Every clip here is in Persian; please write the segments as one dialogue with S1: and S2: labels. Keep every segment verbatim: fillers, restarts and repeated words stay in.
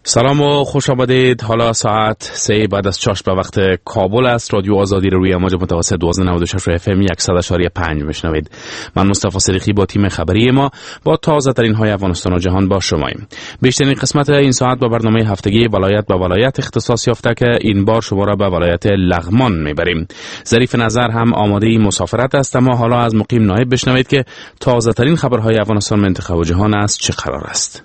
S1: سلام و خوش آمدید. حالا ساعت سه بعد از چهار به وقت کابل است. رادیو آزادی رو روی امواج متوسط دوازده نود و شش اف ام صد و پنج میشنوید. من مصطفی صدیقی با تیم خبری ما با تازه ترین های افغانستان و جهان با شماییم. بیشترین قسمت این ساعت با برنامه هفتگی ولایت به ولایت اختصاص یافته که این بار شما را به ولایت لغمان میبریم. ظریف نظر هم آماده مسافرت است، اما حالا از مقیم نایب بشنوید که تازه ترین خبرهای افغانستان، منطقه و جهان از چه قرار است.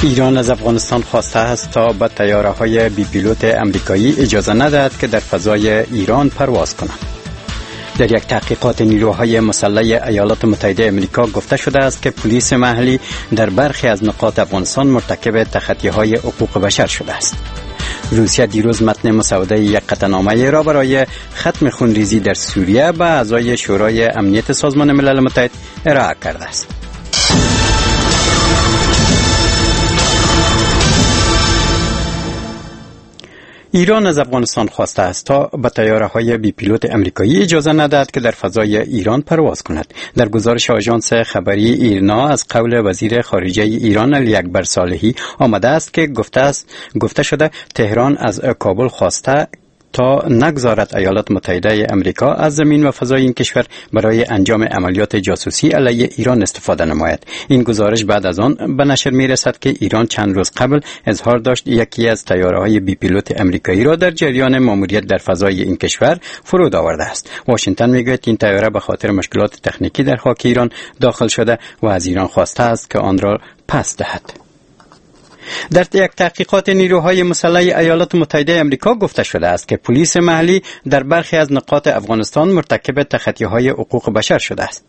S2: ایران از افغانستان خواسته است تا به طیاره‌های بی پیلوت امریکایی اجازه ندهد که در فضای ایران پرواز کنند. در یک تحقیقات نیروهای مسلح ایالات متحده امریکا گفته شده است که پلیس محلی در برخی از نقاط افغانستان مرتکب تخطی‌های حقوق بشر شده است. روسیه دیروز متن مسوده یک قطعنامه را برای ختم خونریزی در سوریه به اعضای شورای امنیت سازمان ملل متحد ارائه کرده است. ایران از افغانستان خواسته است تا به طیاره‌های بی پیلوت امریکایی اجازه ندهد که در فضای ایران پرواز کند. در گزارش آژانس خبری ایرنا از قول وزیر خارجه ایران علی اکبر صالحی آمده است که گفته است گفته شده تهران از کابل خواسته تا نگذارد ایالات متحده امریکا از زمین و فضای این کشور برای انجام عملیات جاسوسی علیه ایران استفاده نماید. این گزارش بعد از آن به نشر می رسد که ایران چند روز قبل اظهار داشت یکی از طیاره‌های بی پیلوت امریکایی را در جریان ماموریت در فضای این کشور فرود آورده است. واشنگتن میگوید این طیاره به خاطر مشکلات تکنیکی در خاک ایران داخل شده و از ایران خواسته است که آن را پس دهد. در یک تحقیقات نیروهای مسلح ایالات متحده امریکا گفته شده است که پلیس محلی در برخی از نقاط افغانستان مرتکب تخطی‌های حقوق بشر شده است.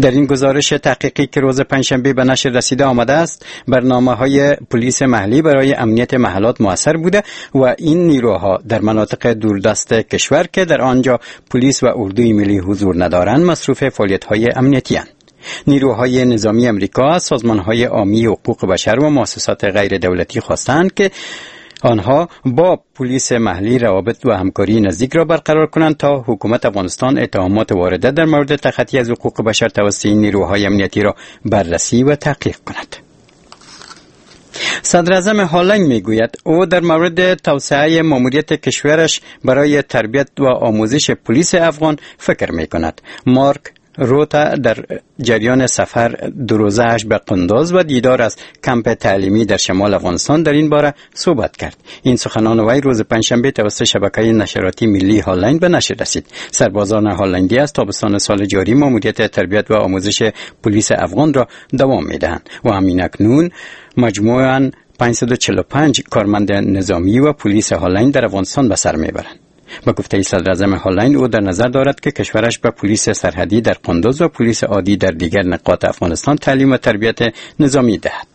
S2: در این گزارش تحقیقی که روز پنجشنبه به نشر رسیده آمده است، برنامه‌های پلیس محلی برای امنیت محلات موثر بوده و این نیروها در مناطق دوردست کشور که در آنجا پلیس و اردوی ملی حضور ندارند، مصروف فعالیت‌های امنیتی اند. نیروهای نظامی امریکا از سازمان‌های عامی حقوق بشر و مؤسسات غیر دولتی خواستند که آنها با پلیس محلی روابط و همکاری نزدیک را برقرار کنند تا حکومت افغانستان اتهامات وارده در مورد تخطی از حقوق بشر توسط نیروهای امنیتی را بررسی و تحقیق کند. صدراعظم هالند میگوید او در مورد توسعه ماموریت کشورش برای تربیت و آموزش پلیس افغان فکر میکند. مارک روتا در جریان سفر دو روزه‌اش به قندوز و دیدار از کمپ تعلیمی در شمال افغانستان در این باره صحبت کرد. این سخنان وی روز پنجشنبه توسط شبکه نشراتی ملی هالند به نشر رسید. سربازان هالندی از تابستان سال جاری ماموریت تربیت و آموزش پلیس افغان را دوام می‌دهند و همین اکنون مجموعاً پانصد و چهل و پنج کارمند نظامی و پلیس هالند در افغانستان به سر می‌برند. با گفته صدراعظم هالند او در نظر دارد که کشورش به پلیس سرحدی در قندوز و پلیس عادی در دیگر نقاط افغانستان تعلیم و تربیت نظامی دهد.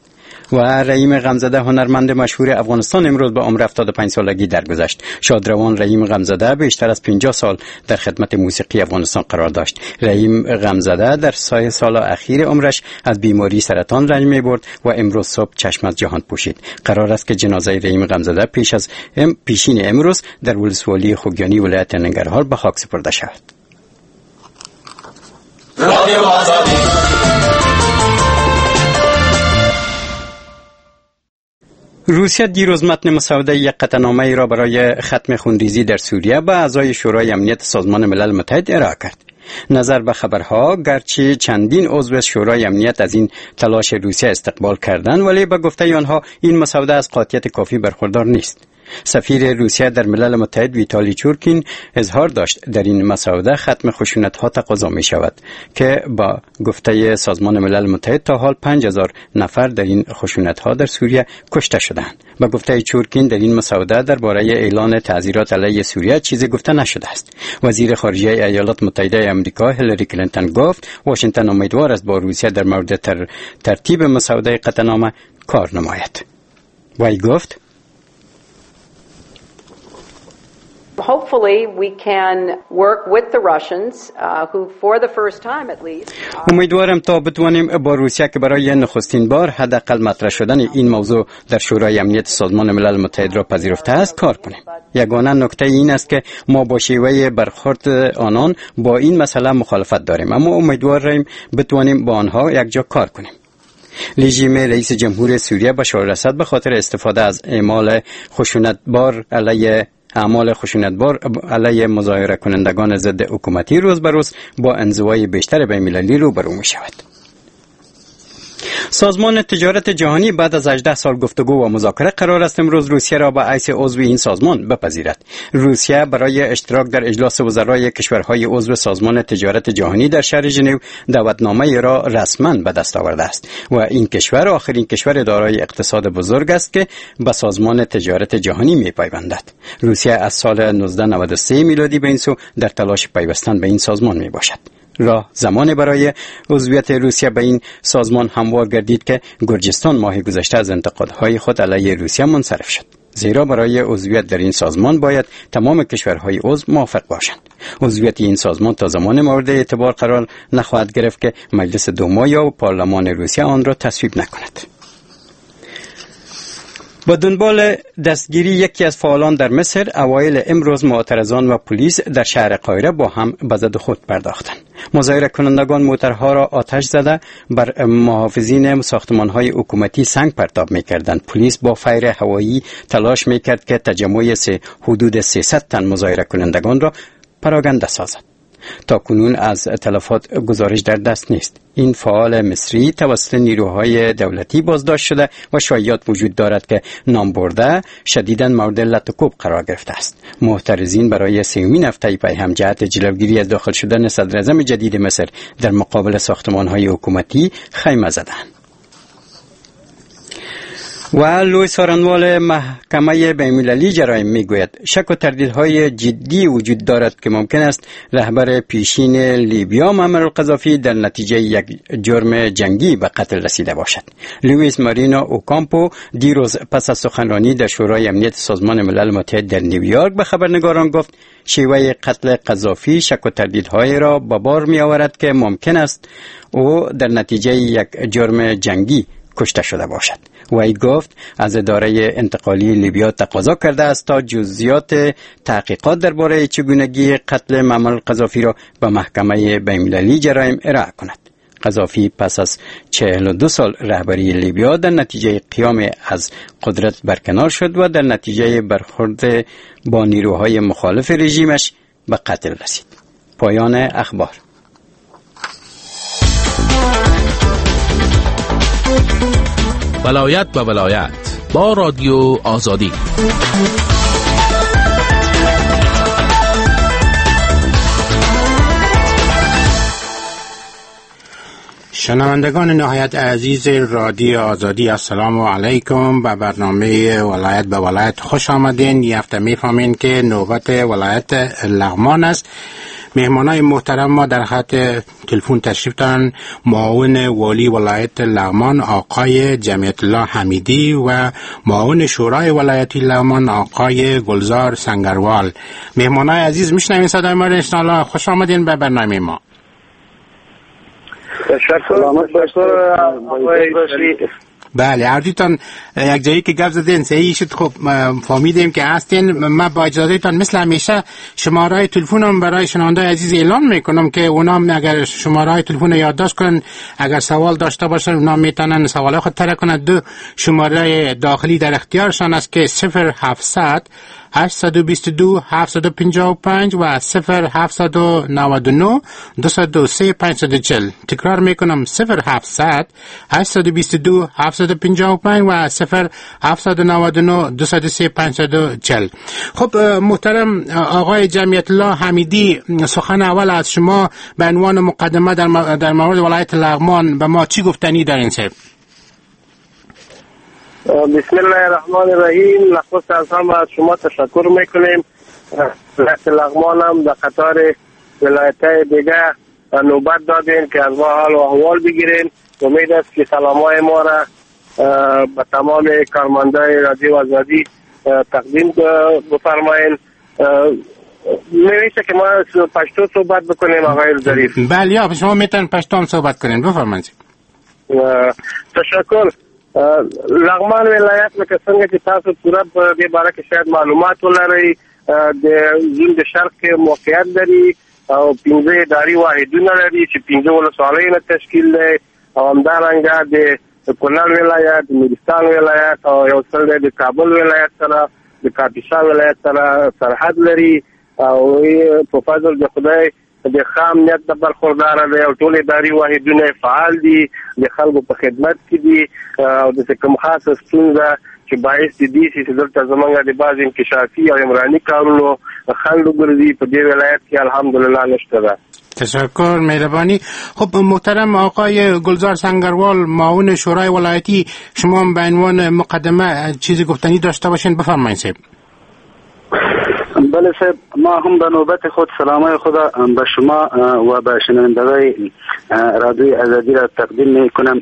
S2: و رحیم غمزاده هنرمند مشهور افغانستان امروز به عمر هفتاد و پنج سالگی درگذشت. شادروان رحیم غمزاده بیشتر از پنجاه سال در خدمت موسیقی افغانستان قرار داشت. رحیم غمزاده در سه سال اخیر عمرش از بیماری سرطان رنج می‌برد و امروز صبح چشم از جهان پوشید. قرار است که جنازه رحیم غمزاده پیش از پیشین امروز در ولسوالی خوگیانی ولایت ننگرهار به خاک سپرده شود. روسیه دیروز متن مسوده یک قطعنامه را برای ختم خونریزی در سوریه به اعضای شورای امنیت سازمان ملل متحد ارائه کرد. نظر به خبرها گرچه چندین عضو شورای امنیت از این تلاش روسیه استقبال کردند، ولی به گفته آنها این مسوده از قاطعیت کافی برخوردار نیست. سفیر روسیه در ملل متحد ویتالی چورکین اظهار داشت در این مسوده ختم خشونت‌ها تقاضا می شود که با گفته سازمان ملل متحد تا حال پنج هزار نفر در این خشونت‌ها در سوریه کشته شدند. با گفته چورکین در این مسوده درباره اعلان تعزیرات علیه سوریه چیزی گفته نشده است. وزیر خارجه ایالات متحده آمریکا هیلاری کلینتون گفت واشنگتن امیدوار است با روسیه در مورد تر ترتیب مسوده قطعنامه کار نماید. وی گفت
S3: Hopefully we can work with the Russians, uh, who for the first time at least.
S2: امیدوارم تا بتوانیم با روسیه که برای نخستین بار حداقل مطرح شدن این موضوع در شورای امنیت سازمان ملل متحد را پذیرفته است کار کنیم. یگانه نکته این است که ما با شیوه برخورد آنان با این مسئله مخالفت داریم، اما امیدواریم بتوانیم با آنها یکجا کار کنیم. رژیم رئیس جمهور سوریه بشار الاسد به خاطر استفاده از اعمال خشونتبار علیه اعمال خشونتبار علیه مظاهره کنندگان ضد حکومتی روز به روز با انزوای بیشتر بین‌المللی روبرو می شود. سازمان تجارت جهانی بعد از هجده سال گفتگو و مذاکره قرار است امروز روسیه را به حیث عضو این سازمان بپذیرد. روسیه برای اشتراک در اجلاس وزرای کشورهای عضو سازمان تجارت جهانی در شهر ژنو دعوتنامه را رسما به دست آورده است و این کشور آخرین کشور دارای اقتصاد بزرگ است که به سازمان تجارت جهانی می‌پیوندد. روسیه از سال نوزده نود و سه میلادی به این سو در تلاش پیوستن به این سازمان می‌باشد. راه زمان برای عضویت روسیه به این سازمان هموار گردید که گرجستان ماه گذشته از انتقادهای خود علیه روسیه منصرف شد، زیرا برای عضویت در این سازمان باید تمام کشورهای عضو موافق باشند. عضویت این سازمان تا زمان مورد اعتبار قرار نخواهد گرفت که مجلس دوما یا پارلمان روسیه آن را تصویب نکند. با دنبال دستگیری یکی از فعالان در مصر، اوایل امروز معترضان و پلیس در شهر قاهره با هم به زد خود پرداختند. مظاهره کنندگان موترها را آتش زده بر محافظین ساختمان‌های حکومتی سنگ پرتاب می‌کردند. پلیس با فیر هوایی تلاش می‌کرد که تجمع سه حدود سیصد تن مظاهره کنندگان را پراگنده سازد. تا کنون از تلفات گزارش در دست نیست. این فعال مصری توسط نیروهای دولتی بازداشت شده و شایعات وجود دارد که نام برده شدیداً مورد لط و کوب قرار گرفته است. معترضین برای سومین هفته پی هم جهت جلوگیری از داخل شدن صدراعظم جدید مصر در مقابل ساختمان‌های حکومتی خیمه زدند. و لوی سارنوال محکمه بین‌المللی جرایم میگوید شک و تردیدهای جدی وجود دارد که ممکن است رهبر پیشین لیبیا معمر القذافی در نتیجه یک جرم جنگی به قتل رسیده باشد. لوئیس مارینا اوکامپو دیروز پس از سخنرانی در شورای امنیت سازمان ملل متحد در نیویورک به خبرنگاران گفت شیوه قتل قذافی شک و تردیدهای را به بار می آورد که ممکن است او در نتیجه یک جرم جنگی کشته شده باشد. وی گفت از اداره انتقالی لیبیا تقاضا کرده است تا جزئیات تحقیقات درباره چگونگی قتل معمر القذافی را به محکمه بین‌المللی جرایم ارائه کند. قذافی پس از چهل و دو سال رهبری لیبیا در نتیجه قیام از قدرت برکنار شد و در نتیجه برخورد با نیروهای مخالف رژیمش به قتل رسید. پایان اخبار.
S1: ولایت و ولایت با رادیو آزادی.
S4: شنوندگان نهایت عزیز رادیو آزادی، السلام علیکم. به برنامه ولایت به ولایت خوش آمدین. یه هفته میفهمین که نوبت ولایت لغمان است. مهمانای محترم ما در خط تلفن تشریف دارن: معاون والی ولایت لغمان آقای جمعیت الله حمیدی و معاون شورای ولایتی لغمان آقای گلزار سنگروال. مهمانای عزیز میشنوین صدای ما را؟ انشاءالله خوش آمدین به برنامه ما. بله، هر دویتان یک جایی که گپ زدین صحیح شد. خب فهمیدیم که هستین. من با اجازه تان مثل همیشه شماره تلفنم برای شنونده عزیز اعلان میکنم که اونا اگر شماره تلفن یادداشت کنن، اگر سوال داشته باشن اونا میتونن سوال خود طرح کنن. دو شماره داخلی در اختیارشان است که صفر هفتصد هشتصد و بیست و دو هفتصد و پنجاه و پنج و صفر هفتصد و نود و نه دویست و سه پانصد و چهل. تکرار میکنم: صفر هفتصد هشتصد و بیست و دو هفتصد و پنجاه و پنج و صفر هفتصد و نود و نه دویست و سه پانصد و چهل. خب محترم آقای جمعیت الله حمیدی، سخن اول از شما به عنوان مقدمه در, در مورد ولایت لغمان به ما چی گفتنی دارین صاحب؟
S5: بسم الله الرحمن الرحیم. نخست از همه از شما تشکر میکنیم. ولایت لغمان هم در قطار ولایت های دیگه نوبت دادین که از ما حال و احوال بگیریم. امید است که سلام های ما را به تمام کارمندای رادیو آزادی تقدیم بفرمایین. میشه که ما پشتو صحبت بکنیم آقای ظریف؟
S4: بله، یا شما میتونید پشتو هم صحبت کنین، بفرمایید.
S5: تشکر. لغمان ولایت لکه څنګه چې تاسو پوره په دې باره کې شاید معلومات ولرئ، د زون د شرق کې موقعیت لري او پنځه اداري واحدونه لري چې پنځه ولسوالۍ نه تشکیل دی، او همدارنګه د کونړ ولایت، نورستان ولایت او یو څه د کابل ولایت سره، د کاپیسا ولایت سره سرحد لري، او په فضل د خدای د ښه امنیت نه برخورداره دی او ټول اداري واحدونه فعال دي، د خلکو په خدمت کې دي، او داسې کوم خاصه ستونزه چې باعث د دې شي چې دلته زمونږ د بعضې انکشافي او عمراني کارونو خنډ وګرځي، په دې ولایت کې الحمدلله نشته ده.
S4: تشکر، مهربانی. خب محترم آقای گلزار سنگروال، معاون شورای ولایتی، شما هم به عنوان مقدمه چیزی گفتنی داشته باشین، بفرمایید صاحب.
S6: بله صاحب، ما هم به نوبت خود سلامای خود به شما و به شنوندگان رادیوی آزادی را تقدیم می کنم.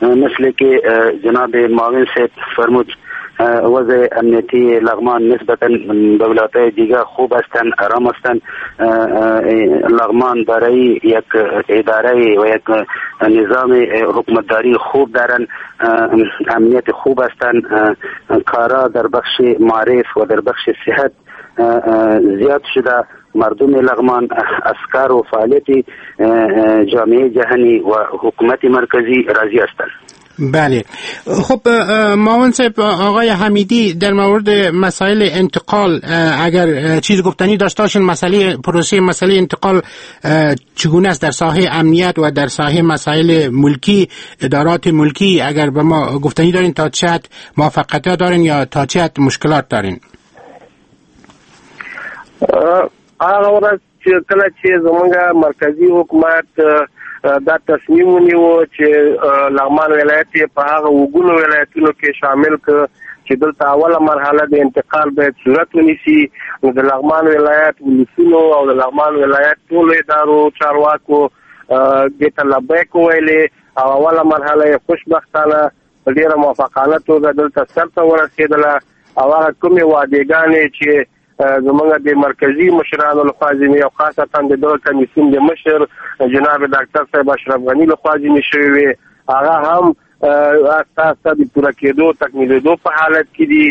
S6: مثل که جناب معاون صاحب فرمود، وضع امنیتی لغمان نسبتا به ولایت‌های دیگر خوب هستند، آرام هستند. لغمان دارای یک اداره و یک نظام حکومتداری خوب دارند، امنیت خوب هستند، کارا در بخش معارف و در بخش صحت زیاد شده. مردم لغمان از کار و فعالیت جامعه جهانی و حکومت مرکزی راضی هستند.
S4: بله. خب معاون صاحب، آقای حمیدی در مورد مسائل انتقال اگر چیز گفتنی داشته باشین، مسئله پروسه مسئله انتقال چگونه است در ساحه امنیت و در ساحه مسائل ملکی، ادارات ملکی، اگر به ما گفتنی دارین تا چه حد موفقیت دارین یا تا چه حد مشکلات دارین؟
S5: هغه ورځ چې کله چې زمونږ مرکزي حکومت دا تصمیم ونیو چې لغمان ولایت یې په هغه اوګونو ولایتونو کې شامل کړ چې دلته اوله مرحله د انتقال باید صورت ونیسي، نو د لغمان ولایت ولسونو او د لغمان ولایت ټولو ادارو چارواکو دې ته لبیک وویلې او اوله مرحله یې خوشبختانه په ډېره موافقانه توګه دلته سرته ورسېدله. او هغه کومې وعدېګانې چې زمونږ د مرکزي مشرانو لخوا ځینې او خاصتا د دغه کمیسیون د مشر جناب ډاکټر صاحب اشرف غني لخوا ځینې شوې وې، هغه هم آسته آسته د پوره کېدو تکمیلېدو په حالت کې دي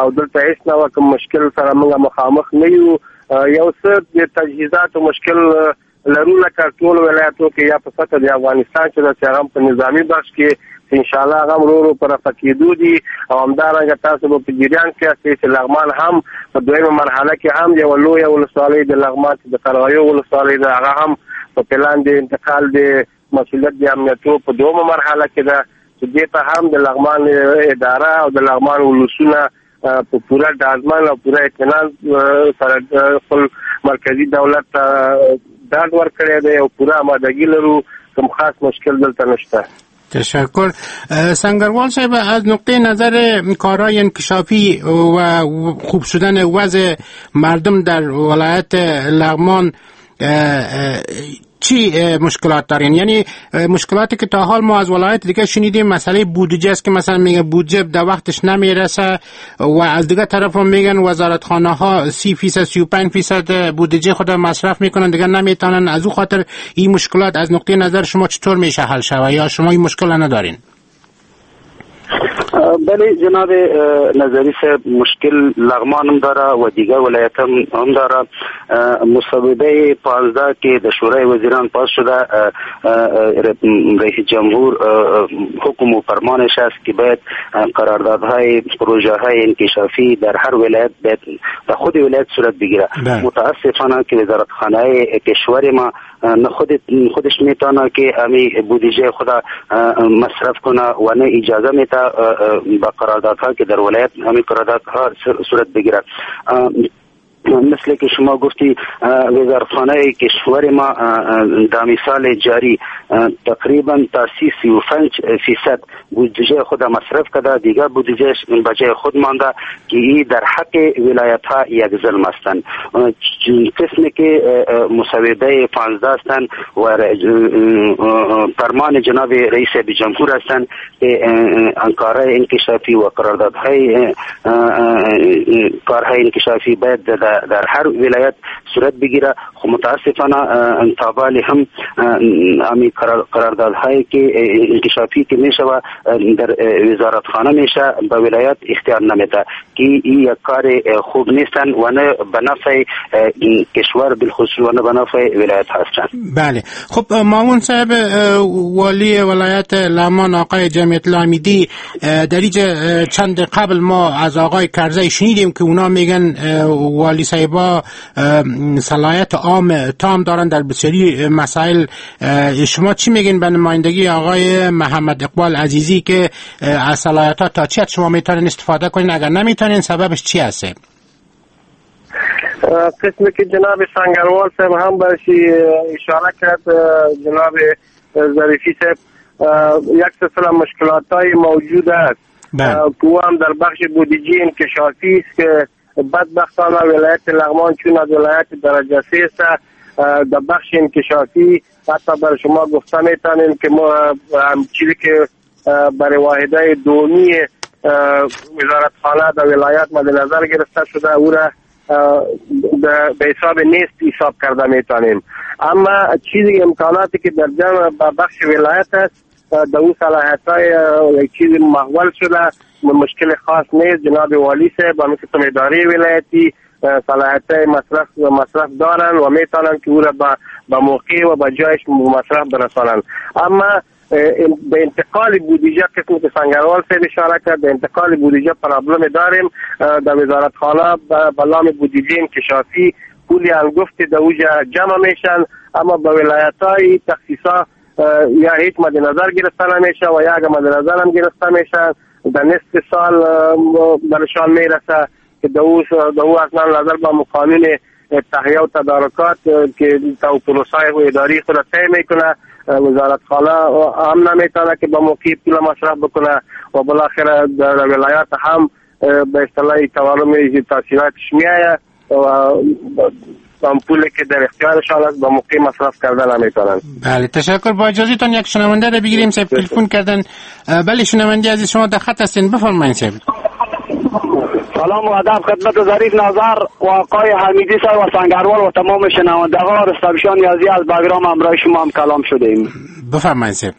S5: او دلته هېڅ نوع کوم مشکل سره موږ مخامخ نه یو. یو څه د تجهیزاتو مشکل لرو لکه ټولو ولایتو کې یا په سطح د افغانستان چې داسې هغه هم په نظامي بخش کې چې انشاءالله هغه هم ورو ورو په رفع کېدو دي. او همدارنګه تاسو به په جریان کې یاستئ چې لغمان هم په دویمه مرحله کې هم یوه لویه ولسوالۍ د لغمان چې د قرغیو ولسوالۍ ده، هغه هم په پلان د انتقال د مسؤلیت د امنیتو په دویمه مرحله کې ده چې دې ته هم د لغمان اداره او د لغمان ولسونه په پوره ډاډمن او پوره اطمینان سره خپل مرکزي دولت ته ډاډ ورکړی دی او پوره آمادګي لرو، کوم خاص مشکل دلته نشته.
S4: تشکر. سنگروال صاحب، از نقطه نظر کارهای انکشافی و خوب شدن وضع مردم در ولایت لغمان چی مشکلات دارین؟ یعنی مشکلاتی که تا حال ما از ولایت دیگه شنیدیم مسئله بودجه است که مثلا میگه بودجه در وقتش نمیرسه و از دیگه طرف هم میگن وزارتخانه ها سی فیصد سی و پنج فیصد بودجه خود مصرف میکنن دیگه نمیتونن. از او خاطر این مشکلات از نقطه نظر شما چطور میشه حل شوه یا شما این مشکل ندارین؟
S6: بله جناب نظری صاحب، مشکل لغمان هم داره و دیگر ولایت هم داره. مصوبه پانزده که در شورای وزیران پاس شده، رئیس جمهور حکم و فرمانش است که باید قراردادهای پروژه های انکشافی در هر ولایت باید در خود ولایت صورت بگیره. متاسفانه که وزارتخانه کشور ما نه خود خودش میتونه که امی بودجه خود مصرف کنه و نه اجازه میده با قراردادها که در ولایت همی قراردادها صورت بگیره. مثل که شما گفتی وزارتخانه کشور ما در سال جاری تقریبا تا سی و پنج فیصد بودجه خود مصرف کرده، دیگر بودجه بجای خود مانده که ای در حق ولایت ها یک ظلم هستند. قسمی که مصوبه پانزده هستند و فرمان جناب رئیس جمهور هستند که کارهای انکشافی و قراردادهای کارهای انکشافی باید در در هر ولایت صورت بگیره. خب متاسفانه تابال هم امی قراردادهایی که انکشافی که میشه و در وزارتخانه میشه به ولایت اختیار نمیده که این یک کار خوب نیستن و نه به نفع کشور بالخصوص و نه به نفع ولایت هستن.
S4: بله، خب معاون صاحب والی ولایت لغمان آقای جمعیت الله حمیدی، در اینجا چند قبل ما از آقای کرزی شنیدیم که اونا میگن والی صاحبا صلاحیت عام تام دارن در بسیاری مسائل. شما چی میگین به نمایندگی آقای محمد اقبال عزیزی که از صلاحیت ها تا چی شما میتونین استفاده کنین، اگر نمیتونین سببش چی هست؟
S5: قسمی که جناب سنگروال صاحب هم برشی اشاره کرد، جناب ظریفی صاحب، یک سلسله مشکلات های موجود است که هم در بخش بودجه انکشافی است که بدبختانه ولایت لغمان چون از ولایت درجه سه است در بخش انکشافی حتی بر شما گفته میتونیم که ما چیزی که برای واحده دومی وزارتخانه در ولایت مد نظر گرفته شده او را به حساب نیست حساب کرده میتونیم. اما چیزی امکاناتی که در جمع بخش ولایت است در او صلاحیت های چیز محول شده، مشکل خاص نیست. جناب والی صاحب و مثل اداره ولایتی صلاحیت مصرف مصرف دارن و میتونن که او را به موقع و به جایش مصرف برسانن. اما به انتقال بودجه قسمی که سنگروال صاحب اشاره کرد، به انتقال بودجه پرابلم داریم. در وزارتخانه به نام بودجه انکشافی پولی انگفت در اوجه جمع میشن، اما به ولایت های تخصیصا یا هیچ مد نظر گرفته نمیشه و یا اگر مد نظر هم گرفته میشه در نصف سال برشان میرسه که در او اصلا نظر با قانون تهیه و تدارکات که تا پروسه اداری خود طی میکنه وزارتخانه هم نمیتونه که با موقع پول مصرف بکنه و بالاخره در ولایات هم به اصطلاح تورم تاثیراتش میآید و پولی که در اختیارشان است با موقع مصرف کرده نمیتونن.
S4: بله، تشکر. با اجازهتان یک شنونده را بگیریم، صاحب تلفن کردن. بله شنونده عزیز شما در خط هستین، بفرمایید صاحب.
S7: سلام و ادب خدمت ظریف نظر و آقای حمیدی صاحب و سنگروال و تمام شنوندگان. رستمشان نیازی از بگرام همراه شما هم کلام شده ایم.
S4: بفرمایید صاحب.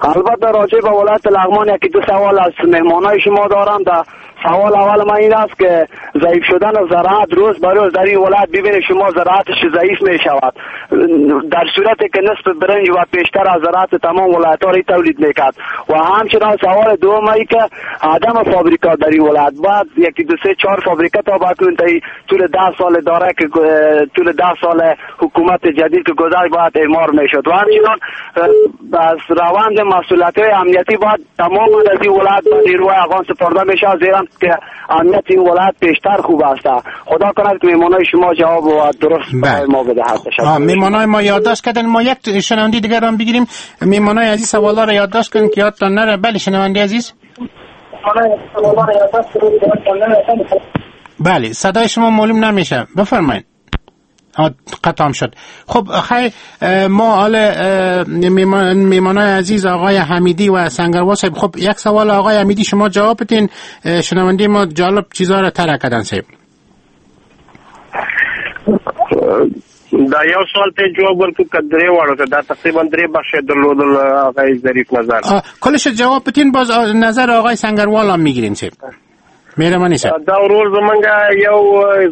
S7: البته راجع به ولایت لغمان یکی دو سوال از مهمانای شما دارم. در سوال اول من این است که ضعیف شدن زراعت روز به روز در این ولایت ببینید شما زراعتش ضعیف می شود، در صورتی که نصف برنج و پیشتر از زراعت تمام ولایت ها را تولید میکرد. و همچنان سوال دوم ای که عدم فابریکا در این ولایت، بعد یکی دو سه چهار فابریکا تا بکنون تا طول ده سال داره که طول ده سال حکومت جدید که گذشت باید اعمار میشد. و همچنان از روند مسئولیت امنیتی باید تمام از این ولایت به نیروهای افغان سپرده میشه، زیرا که امنیت این ولایت پیشتر خوب است. خدا کند که مهمانای شما جواب و درست برای ما بدهد.
S4: مهمانای ما یادداشت کردن. ما یک شنونده دیگر هم بگیریم. مهمانای عزیز سوالا را یادداشت کنید که یادتان نره. بله شنونده عزیز. بله صدای شما معلوم نمیشه، بفرمایید. قطعم شد. خب خیر، ما حال میمانای عزیز آقای حمیدی و سنگروال صاحب، خب یک سوال آقای حمیدی شما جواب بدین. شنونده ما جالب چیزا را طرح کردن صاحب.
S5: دا یو سوال ته جواب ورکړو که درې واړو ته، دا تقریبا درې بخش درلودل آقای ظریف نظر.
S4: کلش جواب بدین، باز نظر آقای سنگروال هم میگیریم صاحب. مهرباني صاحب.
S5: دا ورور زمونږ یو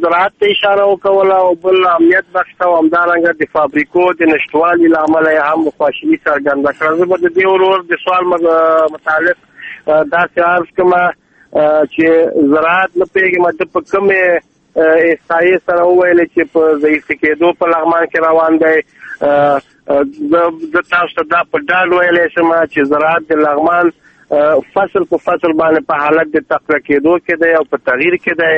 S5: زراعت ته اشاره وکوله او بل امنیت بخش ته، او همدارنګه د فابریکو د نشتوالي له امله یې هم خواشیني څرګنده کړه. زه به د دې ورور د سوال متعلق داسې عرض کړم چې زراعت نه پوهېږم ده په کومې احصایې سره وویل چې په ضعیف کېدو په لغمان کې روان دی. زه تاسو ته دا په ډاډ ویلی شم چې زراعت د لغمان فصل په فصل باندې په حالت د تقویه کېدو کې دی او په تغییر کې دی،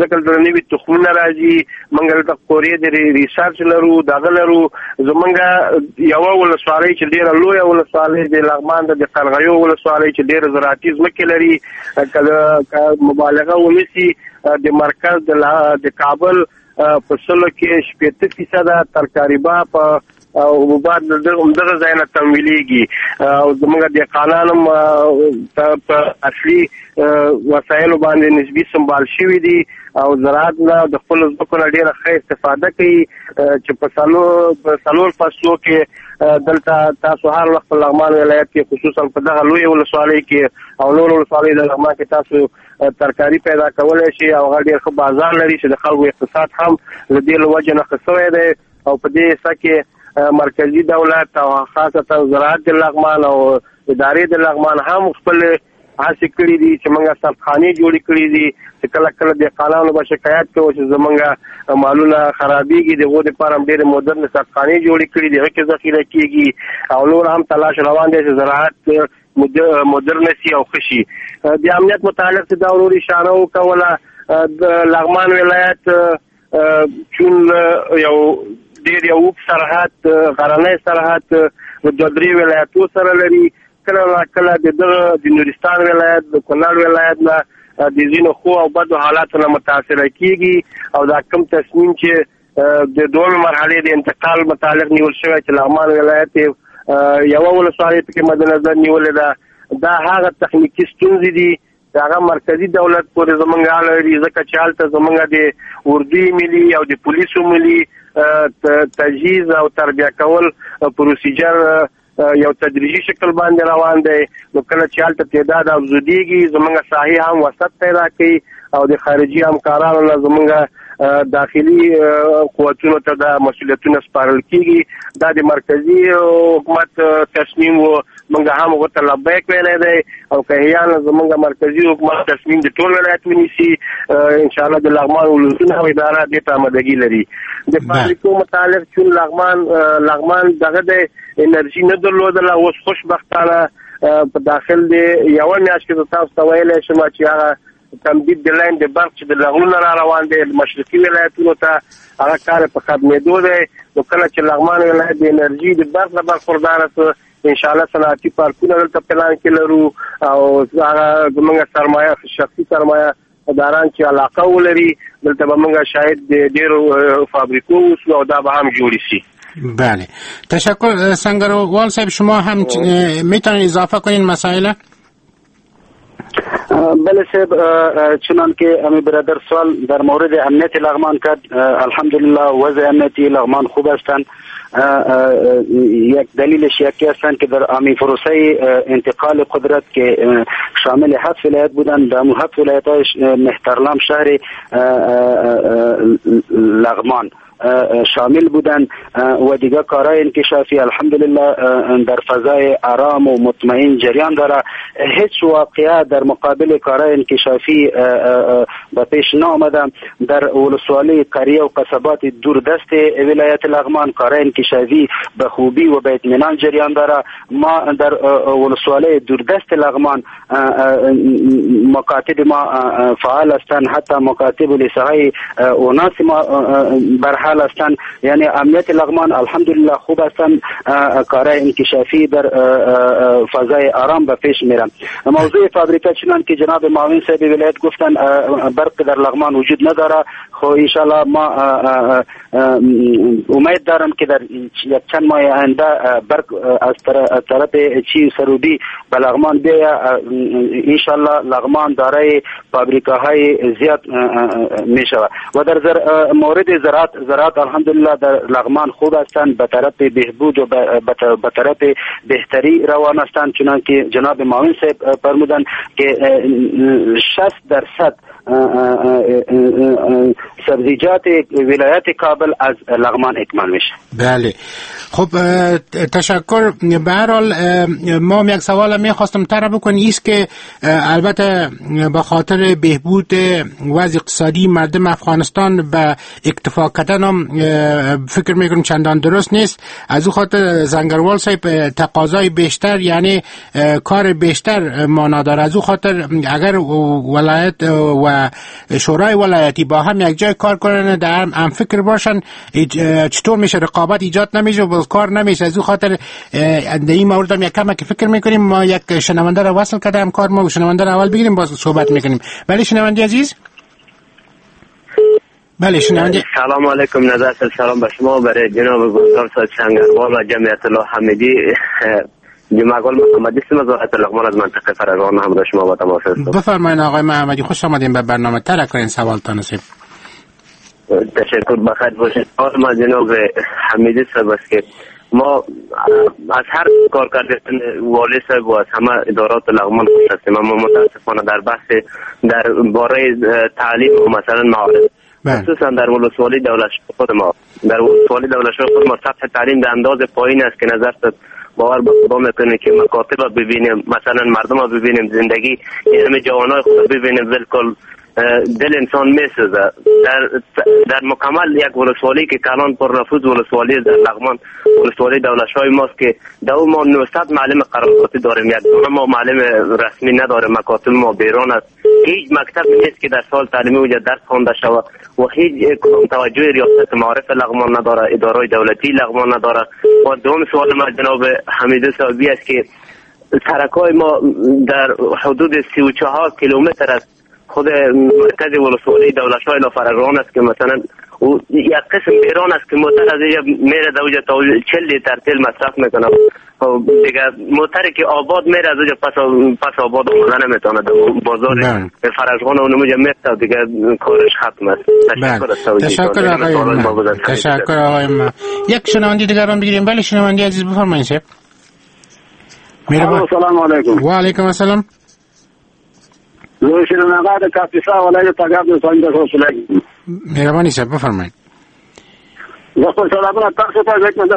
S5: ځکه دلته نوي تخمونه راځي، موږ دلته قورې د research لرو، دغه لرو. زمونږ یوه ولسوالۍ چې ډېره لویه ولسوالۍ د لغمان ده، د قرغیو ولسوالۍ چې ډېره زراعتي ځمکې لري، که مبالغه ونه سي د مرکز د کابل په سلو کې شپېته فیصده ترکاریبا په او حبوبات دغه ځای نه تمویلېږي او زموږ دهقانان هم په اصلي وسایلو باندې نسبي سمبال شوي دي او زراعت نه د خپلو ځمکو نه ډېره ښه استفاده کوي چې په څلور څلور فصلو کې دلته تاسو هر وخت په لغمان ولایت کې خصوصا په دغه لویې ولسوالۍ کې او نورو ولسوالیو د لغمان کې تاسو ترکاري پیدا کولی شئ او هغه ډېر ښه بازار لري چې د خلکو اقتصاد هم له دې له وجې نه ښه شوی دی. او په دې حصه کې مرکزي دولت او خاصتا زراعت د لغمان او ادارې د لغمان هم خپل هڅې کړې دي چې موږ سردخانې جوړې کړې دي چې کله کله دهقانانو به شکایت کوو چې زموږ مالونه خرابېږي، د هغو دپاره هم ډېرې مدرنې سردخانې جوړې کړې دي، هغه کې ذخیره کېږي او نور هم تلاش روان دی چې زراعت مدرن سي او ښه شي. د امنیت متعلق چې دا ورور اشاره وکوله، د لغمان ولایت چون یو ډېر یو اوږد سرحد، غرنی سرحد دوه درې ولایتو سره لري، کله کله د دغه د نورستان ولایت، د کونړ ولایت نه د ځینو ښو او بدو حالاتو نه متاثره کېږي او دا کوم تصمیم چې د دویمې مرحلې د انتقال متعلق نیول شوی چې لغمان ولایت یوه ولسوالۍ پکې مد نظر نیولې ده، دا هغه تخنیکي ستونزې دي چې هغه مرکزي دولت پورې زمونږ اړه لري، ځکه چې هلته زمونږ د اردو ملي او د پولیسو ملي تجهیز او تربیه کول پروسیجر یو تدریجي شکل باندې روان دی. نو کله چې هلته تعداد افزودېږي زمونږ ساحې هم وسط پیدا کوي او د خارجي همکارانو نه زمونږ داخلي قوتونو ته دا مسؤلیتونه سپارل کېږي. دا د مرکزي حکومت تصمیم و، مونږ هم هغو ته لبیک ویلی دی او که احیانا زمونږ مرکزي حکومت تصمیم د ټول ولایت ونیسي انشاءالله د لغمان ولسونه او اداره دې ته آمادګي لري. د فابریکو متعلق چون لغمان لغمان دغه دی انرژي نه درلودله، اوس خوشبختانه په داخل دی یوه میاشت کې زه تاسو ته ویلی شم چې هغه تمدید د لاین د برق چې د لغلونه را روان دی مشرقي ولایتونو ته هغه کار په ختمېدو دی. نو کله چې لغمان ولایت د انرژي د برق نه برخورداره سو انشاءالله صنعتي پارکونه دلته پلان کې لرو او هغه زموږ سرمایه شخصي سرمایه داران چې علاقه ولري دلته به موږ شاهد د ډېرو فابریکو اوسو او دا به هم جوړې شي.
S4: بله، تشکر سنگروال صاحب. شما هم میتونید اضافه کنین مسائل؟
S6: بله صاحب، چنان که امی برادر سوال در مورد امنیت لغمان کرد، الحمدلله وضع امنیتی لغمان خوب هستند. یک دلیلش یکی هستند که در امی پروسه انتقال قدرت که شامل هفت ولایت بودند، در هفت ولایت های مهترلام شهر لغمان شامل بودن و دیگه کارهای انکشافی الحمدلله در فضای آرام و مطمئن جریان داره. هیچ واقعه در مقابل کارهای انکشافی به پیش نامده. در ولسوالی قریه و قصبات دوردست ولایت لغمان کارهای انکشافی به خوبی و به اطمینان جریان داره. ما در ولسوالی دوردست لغمان مکاتب ما فعال هستند، حتی مکاتب و لیسه اوناس ما برحال هستند. یعنی امنیت لغمان الحمدلله خوب هستند، کارهای انکشافی در فضای آرام به پیش میرن. موضوع فابریکه چنان که جناب معاون صاحب ولایت گفتن برق در لغمان وجود نداره، خو انشالله ما امید دارم که در یک چند ماه آینده برق از طرف چین سروبی به لغمان بیاید. انشالله لغمان دارای فابریکه های زیاد می شود. و در مورد زراعت، زراعت الحمدلله در لغمان خوب هستند، به طرف بهبود و به طرف بهتری روان هستند. چنان که جناب معاون صاحب فرمودند که شصت درصد سبزیجات ولایت کابل از لغمان اکمال میشه.
S4: بله، خب تشکر. به هر حال ما یک سوال میخواستم طرح بکنیم، ایست که البته به خاطر بهبود وضع اقتصادی مردم افغانستان به اکتفا کردن هم فکر میکنم چندان درست نیست. از او خاطر زنگروال صاحب تقاضای بیشتر یعنی کار بیشتر مانا داره. از او خاطر اگر ولایت و شورای ولایتی با هم یک جای کار کنن، در هم فکر باشن، چطور میشه رقابت ایجاد نمیشه و کار نمیشه. از او خاطر در این مورد هم یک کم که فکر میکنیم. ما یک شنونده را وصل کرده هم کار ما شنونده را اول بگیریم باز صحبت میکنیم. بله شنونده عزیز. بله شنونده.
S8: سلام علیکم، نظر سلام به شما، برای جناب گلزار صاحب سنگروال و جمعیت الله حمیدی. جمعه گل محمدی هستم از ولایت لغمان، از منطقه فرغان همراه شما با تماس هستم.
S4: بفرمایید آقای محمدی، خوش آمدین به برنامه. ترک کنین سوالتان نصیب.
S8: تشکر، بخیر باشید. ما جناب حمیدی صاحب است که ما از هر کار کردن والی صاحب و از همه ادارات لغمان خوش هستیم، اما متاسفانه در بحث در باره تعلیم و مثلا معارف، خصوصا در ولسوالی دولت خود ما، در ولسوالی دولت خود ما سطح تعلیم در انداز پایین است که نظر باور به خدا میکنه که مکاتب رو ببینیم، مثلا مردم رو ببینیم، زندگی همه جوانای خود رو ببینیم، بالکل دل انسان میسوزه. در در مکمل یک ولسوالی که کلان پر نفوذ ولسوالی در لغمان، ولسوالی دولت‌های ماست که دو ما نهصد معلم قراردادی داریم، یک دونه ما معلم رسمی نداریم، مکاتب ما بیرون است، هیچ مکتب نیست که در سال تعلیمی اونجا درس خوانده شود و هیچ کدام توجه ریاست معارف لغمان نداره، اداره دولتی لغمان نداره. و دوم سوال ما جناب حمیدی صاحبی است که سرکای ما در حدود سی و چهار کیلومتر است خود مرکز ولسوالی دولت‌های لافرغان است که مثلا و یک قسم ایران است که موتر از اینجا میره در اونجا تا چهل لیتر تیل مصرف میکنه، خب دیگه موتری که آباد میره از اونجا پس پس آباد آمده نمیتونه، در بازار فرشغان اون اونجا میره دیگه کارش ختم است. تشکر از توجهتان.
S4: تشکر آقای ما. تشکر آقای ما. یک شنونده دیگر هم بگیریم. بله شنونده عزیز بفرمایید.
S9: السلام علیکم.
S4: و علیکم السلام. مهرباني صاحب بفرمایئ.
S9: زه خپل سلامونه تاسو ته ځکه چې زه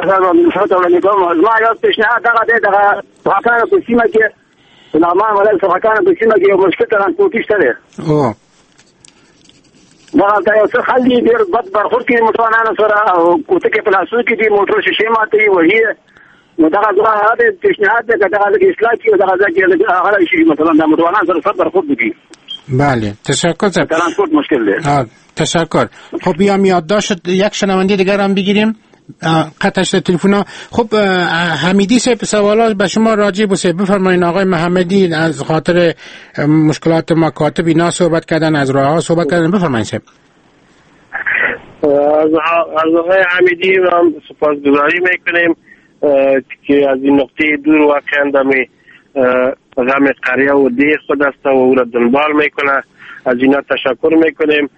S9: وړاندې کوم. زما یو پیشنهاد دغه دی، دغه سرحکانو په سیمه کې، د لغمان ولایت سرحکانو په سیمه کې یو مشکل ترانسپورتي شته دی. دغلته یو څه خلک دي ډېر بد برخورد کوي موټروانانو سره، او کوتکې په لاسو کې دي، موټر شیشې ماتوي، وهي. نو دغه زما هغه پیشنهاد دی که دغه لږ اصلاح کړي، دغه ځای کې لږ هغه شي، مثلا د موټروانانو سره ښه برخورد وکړي.
S4: بله تشکر.
S9: ترانسپورت مشکل ده.
S4: تشکر. خب بیام یادداشت یک شنونده دیگر هم بگیریم. قطع شد تلفن. خب حمیدی صاحب سوالات به شما راجع بود، بفرمایید آقای محمدی از خاطر مشکلات مکاتب اینا صحبت کردن، از راهها صحبت کردن، بفرمایید صاحب.
S5: از آقای حمیدی هم سپاسگزاری میکنیم که از این نقطه دور واقعا دمی غم قریه و ده خود است و او را دنبال میکنه، از اینا تشکر میکنیم.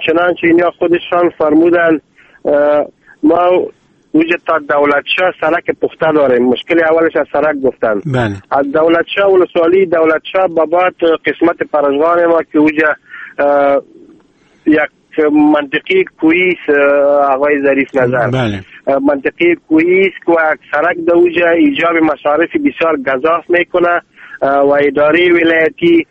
S5: چنانچه اینا خودشان فرمودن ما وجد تا دولتشاه سرک پخته داریم، مشکل اولش از سرک گفتن.
S4: بله.
S5: از دولتشاه ولسوالی دولتشاه بابات قسمت پرشغان ما که وجد یک منطقه کویس آقای ظریف نظر.
S4: بله.
S5: منطقه کویس که سرک دوجه ایجاب مصارف بسیار گزاف میکنه و اداره ولایتی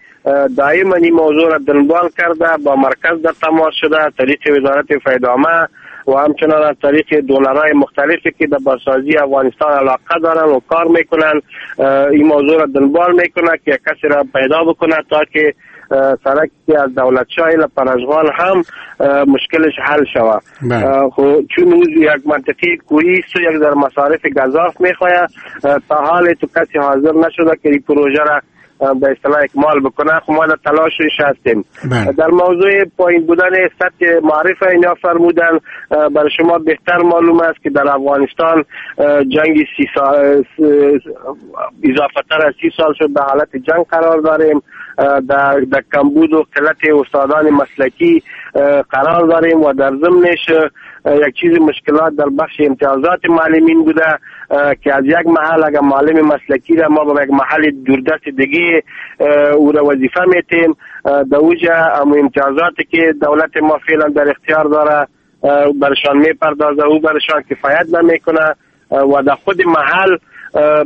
S5: دائما این موضوع را دنبال کرده، با مرکز در تماس شده، طریق وزارت فیدامه و همچنان از طریق دولرهای مختلفی که در بازسازی افغانستان علاقه دارن و کار میکنن این موضوع را دنبال میکنه که کسی را پیدا بکنه تا که سرک از دولت شاه الی پرشغان هم مشکلش حل شود. خب چون او یک منطقه کوهی است و یک در مصارف گزاف میخواه، تا حال تو کسی حاضر نشده که این پروژه را به اصطلاح اکمال بکنه. خب ما در تلاشش هستیم. در موضوع پایین بودن سطح معرفه اینا فرمودن، برای شما بهتر معلوم است که در افغانستان جنگ سی سال اضافه تر از سی سال شد به حالت جنگ قرار داریم، در, در کمبود و قلت استادان مسلکی قرار داریم و در ضمنش یک چیز مشکلات در بخش امتیازات معلمین بوده که از یک محل اگر معلم مسلکی را ما به یک محل دوردست دیگه او را وظیفه میتیم، در اوجه امتیازاتی که دولت ما فعلا در اختیار داره برشان میپردازه او برشان کفایت نمیکنه و در خود محل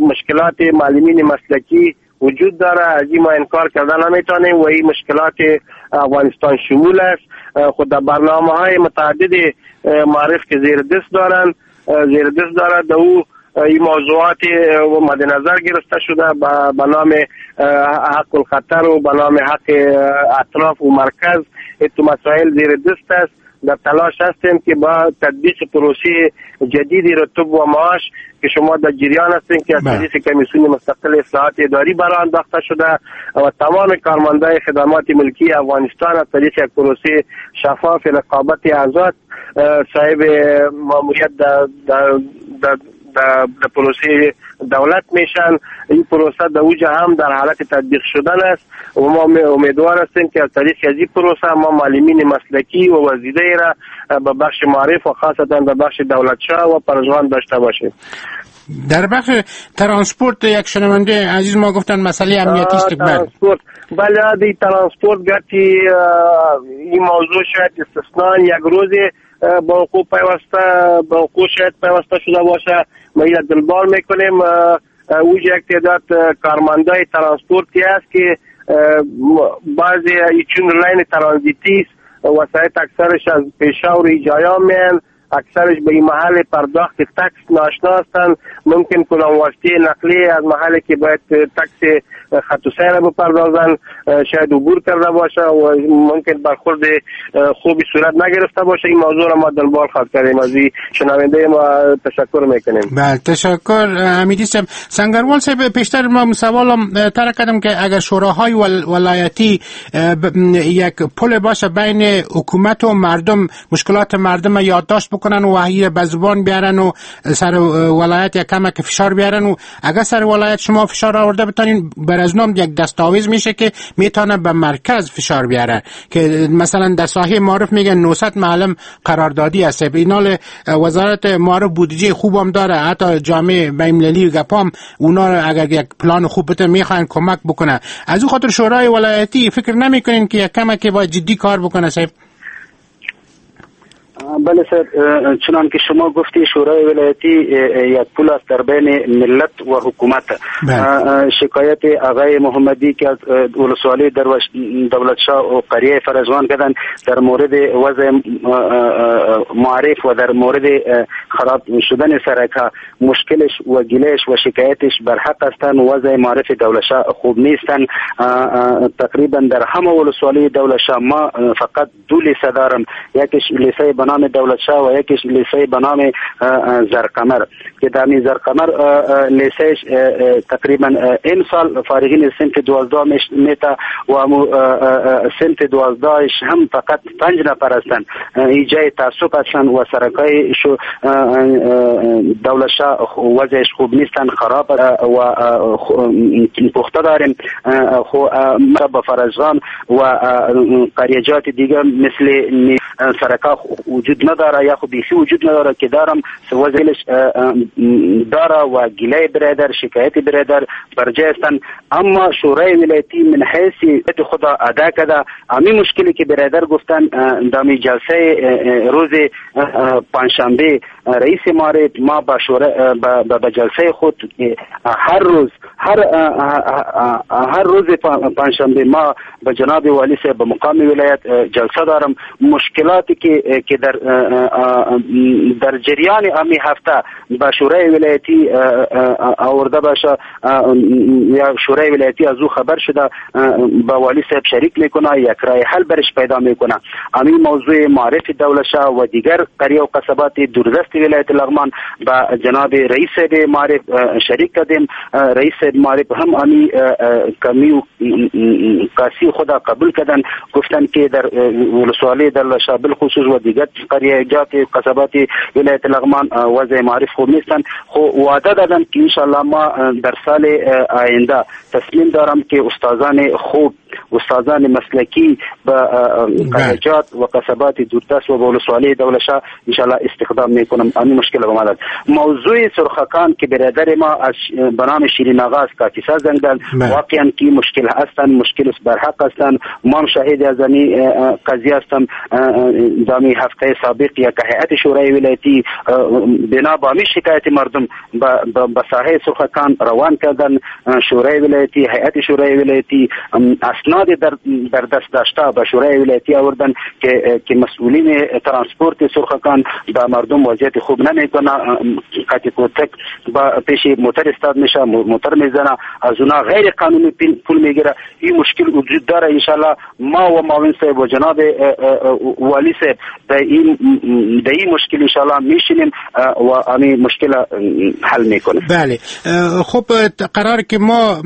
S5: مشکلات معلمین مسلکی وجود داره. از این ما انکار کردن نمیتونیم و این مشکلات افغانستان شمول است. خود در برنامه های متعدد معرف که زیر دست دارن زیر دست داره در او این موضوعات مد نظر گرفته شده به نام حق الخطر و به نام حق اطراف و مرکز، این مسائل زیر دست است. در تلاش هستیم که با تطبیق پروسه جدید رتب و معاش که شما در جریان هستین که از طریق کمیسیون مستقل اصلاحات اداری برای انداخته شده و تمام کارمندای خدمات ملکی افغانستان از طریق یک پروسه شفاف رقابت آزاد صاحب ماموریت در در در در پروسه دولت میشن. این پروسه در اوج هم در حالت تطبیق شدن است و ما امیدوار هستیم که از طریق از این پروسه ما معلمین مسلکی و وزیده را به بخش معارف و خاصتا به بخش دولتشاه و پرژوان داشته باشیم.
S4: در بخش ترانسپورت یک شنونده عزیز ما گفتن مسئله امنیتی است.
S5: ترانسپورت بله، دی ترانسپورت گرچه این موضوع شاید استثناء یک روز با حقوق پیوسته با حقوق شاید پیوسته شده باشه، ما این دلبال میکنیم. اوج یک تعداد کارمندای ترانسپورتی است که بعضی چون line ترانزیتی است، وسایط اکثرش از پیشاور جایا میان، اکثرش به این محل پرداخت tax ناشنا هستند، ممکن کدام واسطه نقلی از محلی که باید tax خط و سیر بپردازن شاید عبور کرده باشه و ممکن برخورد خوبی صورت نگرفته باشه. این موضوع را ما دنبال خواهد کردیم. از این شنونده ما تشکر میکنیم.
S4: بله تشکر حمیدی صاحب. سنگروال صاحب، پیشتر ما سوالم طرح کردم که اگر شوراهای ولایتی یک پل باشه بین حکومت و مردم، مشکلات مردم یادداشت بکنن و وحی به زبان بیارن و سر ولایت یک کمک فشار بیارن و اگر سر ولایت شما فشار آورده بتانین بر از نام یک دستاویز میشه که میتونه به مرکز فشار بیاره که مثلا در ساحه معارف میگن نهصد معلم قراردادی است. اینال وزارت معارف بودجه خوبم داره، حتی جامعه بین‌المللی گپام اونا اگر یک پلان خوب بده میخوان کمک بکنه. از او خاطر شورای ولایتی فکر نمیکنین که یک کمک باید جدی کار بکنه صاحب؟
S6: بله سر، چنان که شما گفتی شورای ولایتی یک پل است در بین ملت و حکومت. شکایت آقای محمدی که از ولسوالی دولت شاه و قریه فرزوان کردن در مورد وضع معارف و در مورد خراب شدن سرک‌ها، مشکلش و گلش و شکایتش بر حق هستند. وضع معارف دولت شاه خوب نیستن. تقریبا در همه ولسوالی دولت شاه ما فقط دو لیسه دارم، یکیش لیسه به نام دولت شاه و یکیش لیسه به نام زرقمر که در می زرقمر لیسه تقریبا این سال فارغین صنف دوازده میتا و صنف دوازده هم فقط پنج نفر هستند. این جای تعصب هستند و سرکای شو دولت شاه وضعش خوب نیستن، خراب و پخته داریم. خو با فرزان و قریجات دیگه مثل سرکا وجود نداره یا خو بیخی وجود نداره که دارم وضعش داره و گله برادر شکایت برادر برجای هستند. اما شورای ولایتی من حیث خدا ادا کرده امی مشکلی که برادر گفتن دامی جلسه روز پنجشنبه رئیس معارف ما با شورا با جلسه خود هر روز هر هر روز پنجشنبه ما به جناب والی صاحب به مقام ولایت جلسه دارم. مشکلاتی که که در در جریان امی هفته با شورای ولایتی آورده باشه یا شورای ولایتی از او خبر شده با والی صاحب شریک میکنه، یک راه حل برش پیدا میکنه. امی موضوع معارف دولت شاه و دیگر قریه و قصبات دوردست ولایت لغمان با جناب رئیس معارف شریک کردیم. رئیس معارف هم امی کمی و کاسی خدا قبول کردن، گفتن که در ولسوالی دولت شاه بالخصوص و دیگر قریه جات قصبات ولایت لغمان وضع معارف خوب نیستن. خو وعده دادن که انشالله ما در سال آینده تصمیم دارم که استادان خوب، استادان مسلکی به قریجات و قصبات دوردست و ولسوالی دولت شاه انشالله استخدام میکنم. امی مشکل به ما داد. موضوع سرخکان که برادر ما از به نام شیرین آقا از کاکیسا زنگ داد، واقعا که مشکل هستن، مشکل برحق هستن. ما هم شاهد از این قضیه هستم. دامی هفته جلسه سابق یک هیئت شورای ولایتی بنا به همی شکایت مردم به ساحه سرخکان روان کردن. شورای ولایتی، هیئت شورای ولایتی اسناد در در دست داشته به شورای ولایتی آوردن که که مسئولین ترانسپورت سرخکان به مردم وضعیت خوب نمیکنه، قطع کوتک با پیش موتر استاد میشه، موتر میزنه، از اونا غیر قانونی پول میگیره. این مشکل وجود داره. ان شاء الله ما و معاون صاحب و جناب والی صاحب در این در این مشکل ان شاء الله میشینیم و همین مشکل حل میکنیم.
S4: بله خب قرار که ما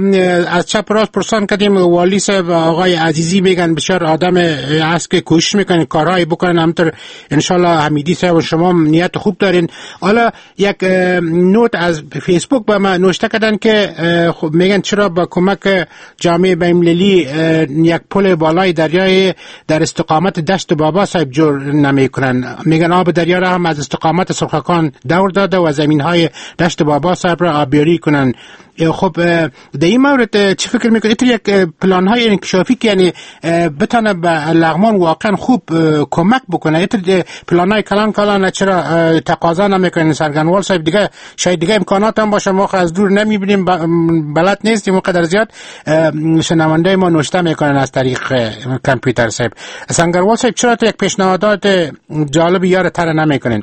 S4: از چپ راست پرسان کردیم، والی صاحب آقای عزیزی میگن بسیار آدم هست که کوشش میکنن کارهایی بکنن، همطور ان شاء الله حمیدی صاحب و شما نیت خوب دارین. حالا یک نوت از فیسبوک به ما نوشته کردن که خب میگن چرا با کمک جامعه بین‌المللی یک پل بالای دریای در استقامت دشت بابا صاحب جور نمیکنن. میگن آب دریا را هم از استقامت سرخکان دور داده و زمین های دشت بابا صاحب را آبیاری کنن. خب در این مورد چه فکر میکنید؟ یک پلان های انکشافی که یعنی بتانه به لغمان واقعا خوب کمک بکنه، پلان های کلان کلان چرا تقاضا نمیکنن؟ سرگنوال صاحب دیگه شاید دیگه امکانات هم باشه، ما از دور نمیبینیم، بلد نیستیم و قدر زیاد شنونده ما نوشته میکنن از طریق کامپیوتر صاحب. سنگروال صاحب چرا یک پیشنهادات جالب یار تر نمیکنن؟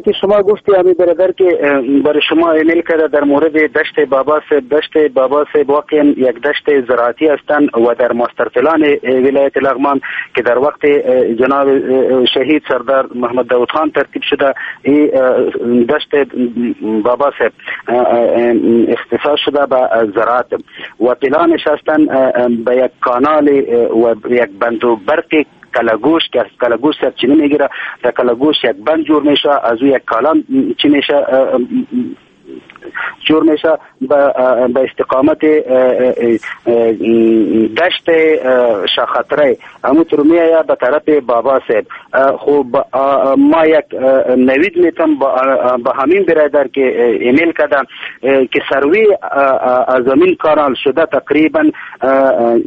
S6: که شما گفتی امی برادر که برای شما ایمیل کرده در مورد دشت بابا صاحب، دشت بابا صاحب واقعا یک دشت زراعتی هستند و در master plan ولایت لغمان که در وقت جناب شهید سردار محمد داود خان ترتیب شده، این دشت بابا صاحب اختصاص شده به زراعت و پلانش هستند به یک کانال و یک بند و برق کلاگوش که از کلاگوش سرچینه میگیره، در کلاگوش یک بند جور میشه، از او یک کالام چی میشه جور میشه به استقامت دشت شاخطره همونطور میآید به طرف بابا صاحب. خب ما یک نوید میتم با همین برادر که ایمیل کردم که سروی از همین کانال شده تقریبا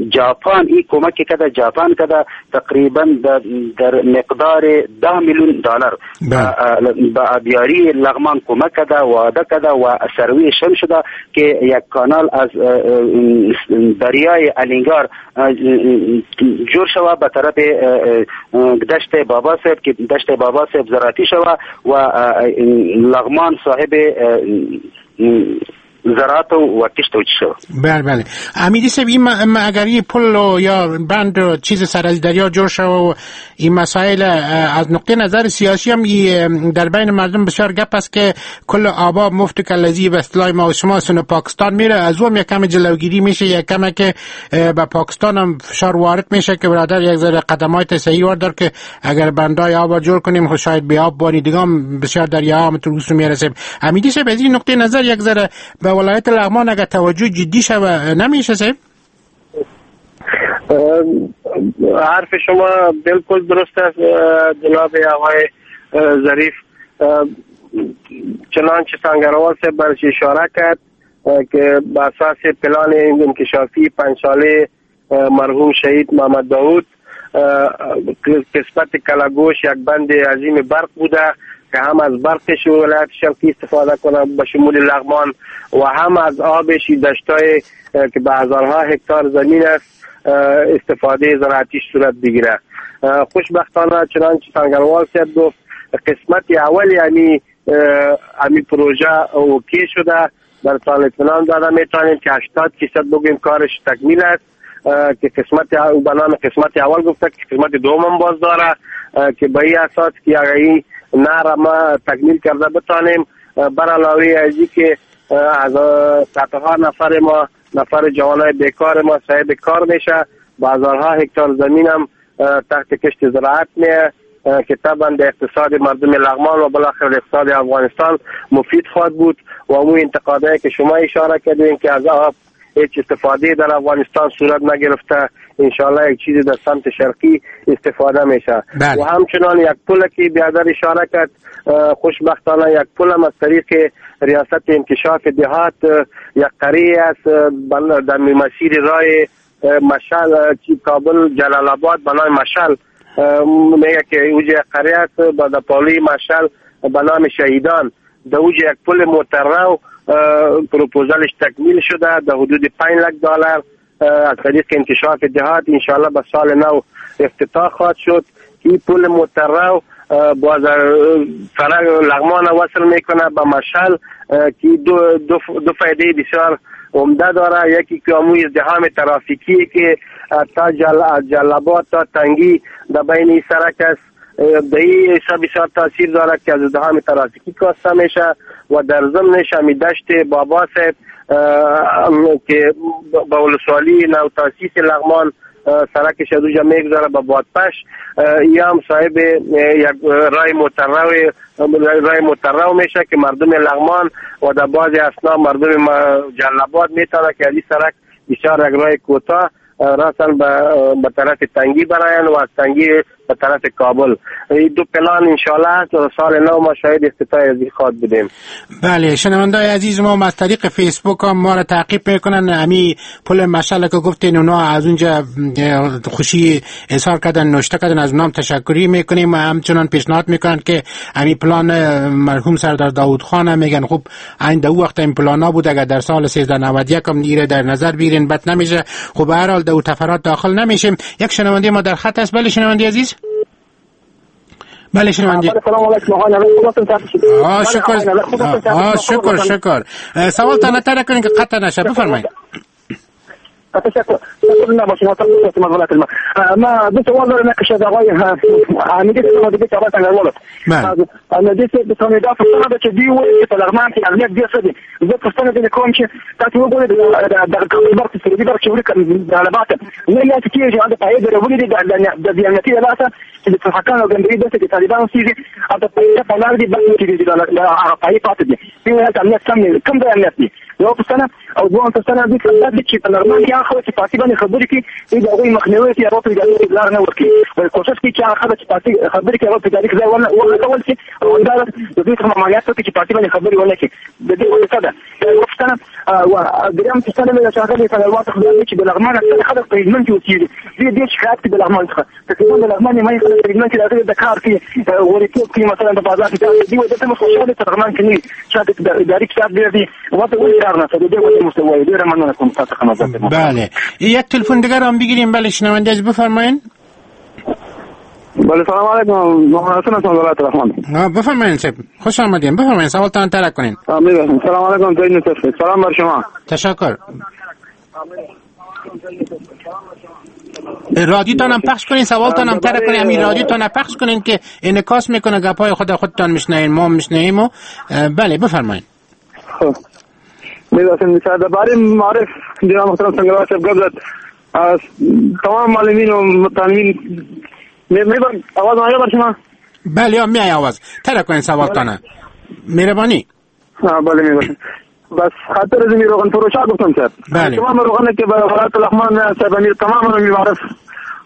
S6: جاپان این کمک کرده، جاپان کرده تقریبا در مقدار ده میلیون دلار به آبیاری لغمان کمک کرده، وعده کرده و سروی شم شده که یک کانال از دریای الینگار جور شوه به طرف دشت بابا صاحب که دشت بابا صاحب زراعتی شوه و لغمان صاحب زراعت و کشت و چی.
S4: بله بله امیدی صاحب، این اگر این پل یا بند و چیز سر از دریا جور شو و این مسائل از نقطه نظر سیاسی هم در بین مردم بسیار گپ است که کل آبا مفت کلزی به اصطلاح ما و شما سن پاکستان میره، از اون یک کم جلوگیری میشه، یک کم که به پاکستان هم فشار وارد میشه که برادر یک ذره قدمات صحیح وردار که اگر بندای آب جور کنیم خب شاید به آب بانی دیگه هم بسیار دریا هم تو روس میرسه. امیدی صاحب از این نقطه نظر یک ذره به ولایت لغمان اگر توجه جدی شوه نمیشه صاحب؟
S5: حرف شما بالکل درست است جناب آقای ظریف. چنانچه سنگروال صاحب برش اشاره کرد که به اساس پلان انکشافی پنج ساله مرحوم شهید محمد داود قسمت کلاگوش یک بند عظیم برق بوده که هم از برقش ولایت شرقی استفاده کنه به شمول لغمان و هم از آبش دشتای که به هزارها هکتار زمین است استفاده زراعتی صورت بگیره. خوشبختانه چنانچه سنگروال صاحب گفت قسمت اول یعنی امی پروژه اوکی شده، در سال اطمینان داده میتونیم که هشتاد فیصد بگوییم کارش تکمیل است که قسمت به نام قسمت اول گفته که قسمت دوم باز داره که به این اساس که اگر این نهر ما تکمیل کرده بتانیم، بر علاوه از که از صدها نفر ما نفر جوانای بیکار ما صاحب کار میشه، با هزارها هکتار زمین هم تحت کشت زراعت میه که طبعا به اقتصاد مردم لغمان و بالاخره اقتصاد افغانستان مفید خواهد بود. و اون انتقادایی که شما اشاره کردین که از آب هیچ استفاده در افغانستان صورت نگرفته، انشالله یک چیزی در سمت شرقی استفاده میشه. بله. و همچنان یک پل که بیادر اشاره کرد، خوشبختانه یک پل هم از طریق ریاست انکشاف دهات یک قریه است در مسیر راه مشعل کابل جلال آباد به نام مشعل میگه که اوج قریه است با پالوی مشعل به نام شهیدان، در اوج یک پل موتررو پروپوزالش تکمیل شده در حدود پنج لک دلار از طریق انکشاف دهات انشاءالله به سال نو افتتاح خواهد شد. این پل موتررو باز فرق لغمان وصل میکنه به مشعل که دو, دو, دو فایده بسیار عمده داره. یکی که اموی ازدحام ترافیکی که تا جل جلابات تا تنگی در بین این سرک است، در این حساب بسیار تاثیر داره که از ازدحام ترافیکی کاسته میشه و در ضمنش همی دشت بابا صاحب که به ولسوالی نو تاسیس لغمان سرکش از اونجا میگذاره به بادپش، یا هم صاحب یک رای موتررو رای موتررو میشه که مردم لغمان و در بعضی اثنا مردم جلاباد میتونه که از این سرک بسیار یک رای کوتاه راساً به طرف تنگی براین و از تنگی به طرف کابل. این دو پلان انشالله هست و سال نو ما شاهد افتتاح از این خواهد بودیم.
S4: بله شنوندای عزیز ما از طریق فیسبوک هم ما را تعقیب میکنن. امی پل مشعل که گفتین اونا از اونجا خوشی اظهار کردن، نوشته کردن، از اونام تشکری میکنیم و همچنان پیشنهاد میکنن که امی پلان مرحوم سردار داوود خان میگن خب این دو وقت این پلان ها بود، اگر در سال سیزده نود و یک هم ایره در نظر بگیرین بد نمیشه. خب به هر حال دو تفرات داخل نمیشیم. یک شنونده ما در خط است. بله شنونده عزیز. بله شنونده.
S9: سلام علیکم آقای نوید.
S4: آه شکر آه شکر شکر. سوال تا نتره کنین که قطع نشه، بفرمایید.
S9: تشکر تشکر نباشین ما دو سوال دارم. یکیش از آقای حمیدی څخه د آقای څنګهوالو انا دې څه د دا پوښتنه ده چې دوی وایي چې په لغمان کې امنیت ډېر ښه دی. زه پوښتنه دې کوم چې تاسو وګورئ دغه کابل برق سعودي برق چې وړي د علبات نه یاد کېږي د پایې درولې دي د بې امنیتي له لاسه چې د ټوپکانو او ګمبري داسې د طالبانو سیږي او د پایې په لار دي بس چې هغه پایې پاتې دي. دوی وایي امنیت سم دی، کوم ځای امنیت دی؟ یوه پوښتنه. او دوهم پوښتنه دې چې په لغمان کې هغه خلک چې پارتي باندې خبرې کوي دوی د هغوی مخنیوی کوي، هغه په ادارې کې لار نه ورکوي، ولې کوشش کوي چې هغه خلک چې پارتي خبرې کوي هغه په ادارې کې ځای ونه کول شي او همداراز د دوی څخه مالیات ورکړي چې پارتي باندې خبرې ونه کړي. د دې ولې څه ده؟ یوه پوښتنه. درېیم پوښتنه مې د ښاغلي سنګروال څخه دا ده چې د لغمان اکثره خلک په هلمند کې اوسېږي، دوی ډېر شکایت کوي د لغمان څخه. تقریبا د لغمان نیمایي خلک په هلمند کې راغلي د کار کوي، غوریتوب کوي، مثلا د بازار کې کار کوي. دوی وایي دلته موږ خوشحاله یو، په لغمان کې نه وي، شاته اداري کتاب ډېر دی، ورته ولې کار نشته؟ د دې ولې موږ ته وایي؟ ډېره مننه کوم تاسو څخه.
S4: بله یک تلفن دیگر هم بگیریم. بله شنونده عزیز بفرمایین.
S9: بله سلام علیکم، محمد حسن هستم ولایت لغمان.
S4: بفرمایین صاحب، خوش آمدین. بفرمایین سوالتان ترک کنین.
S9: سلام علیکم سلام بر شما.
S4: تشکر. رادیوتان هم پخش کنین، سوالتان هم ترک کنین. همین رادیوتان پخش کنین که انعکاس میکنه گپای خود خودتان میشنوین، ما میشنویم. و بله بفرمایین.
S9: خب میدونم درباره معارف جناب محترم سنگروال صاحب گپ زد. از تمام معلمین و متعلمین می آواز آیا بر شما؟
S4: بله میای آواز. ترک کنین سوالتان. مهربانی.
S9: بله میباشم. بس خاطر از روغن فروشا گفتم صاحب.
S4: بله.
S9: تمام روغن که به ولایت لغمان صاحب امیر تمام معارف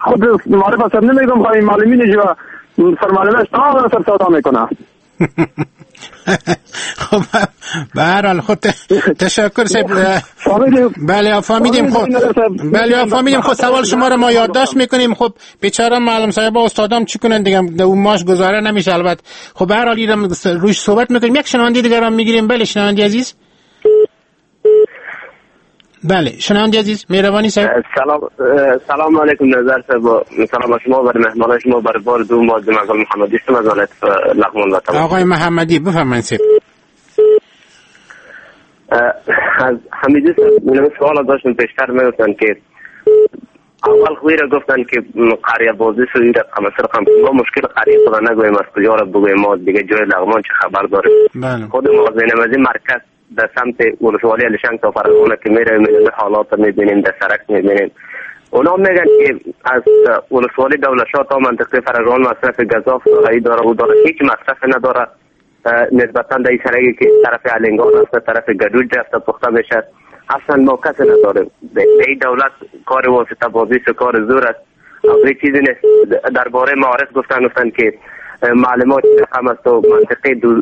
S9: خود معارف صاحب نمیگم، خواهی معلمین جو سرمعلمش تمام سر سودا میکنه.
S4: خب به هر حال خود تشکر صاحب. بله فهمیدیم. خب بله فهمیدیم. خب سوال شما رو ما یادداشت میکنیم. خب بیچاره معلم صاحب استادام چی کنن دیگه، اون ماش گزاره نمیشه البته. خب به هر حال اینم روش صحبت میکنیم. یک شنونده دیگه هم میگیریم. بله شنونده عزیز. بله شنونده عزیز مهربانی صاحب.
S8: سلام سلام علیکم نظر صاحب، سلام شما بر مهمان شما بر بار دوم از آقای محمدی است از ولایت لغمان.
S4: آقای محمدی بفرمایید صاحب.
S8: از حمیدی صاحب من سوال داشتم پیشتر میگفتن که اول خوی را گفتن که قریه بازی سوی رقم رقم ما مشکل قریه خدا نگویم از کجا را بگویم، ما دیگه جای لغمان چه خبر داریم.
S4: بله.
S8: خود ما از این مرکز در سمت ولسوالی علیشنگ تا فرغانه که میره میره حالات میبینیم، در سرک میبینیم. اونا میگن که از ولسوالی دولتشاه تا منطقه فرغان مصرف گزاف داره داره و داره، هیچ مصرف نداره. نسبتا در این سرکی که طرف علنگان است طرف گدوج رفته پخته میشه، اصلا ما کسی نداریم. به این دولت کار واسطه بازی و کار زور است، این چیزی نیست. درباره معارف گفتن گفتن که معلومات رقم است و منطقه دور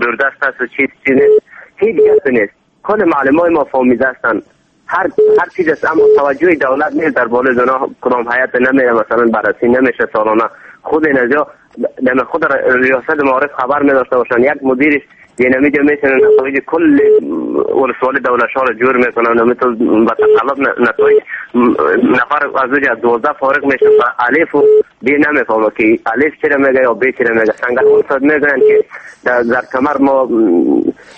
S8: دوردست است و چیز چیز نیست، هیچ کسی نیست. کل معلمای ما فامیده هستند، هر هر چیز است، اما توجه دولت نیست در بالای زنا کدام هیئت نمیره مثلا بررسی نمیشه سالانه. خود اینجا در خود ریاست معارف خبر می داشته باشن، یک مدیرش یعنی میشه نتایج کل ولسوالی دولت ها رو جور میکنن، نمیتون با تقلب نتایج نفر از اوج از دوازده فارغ میشه و الف و بی نمیفهمه که الف چرا میگه یا بی چرا میگه. سنگران صاحب میگن که در زرکمر ما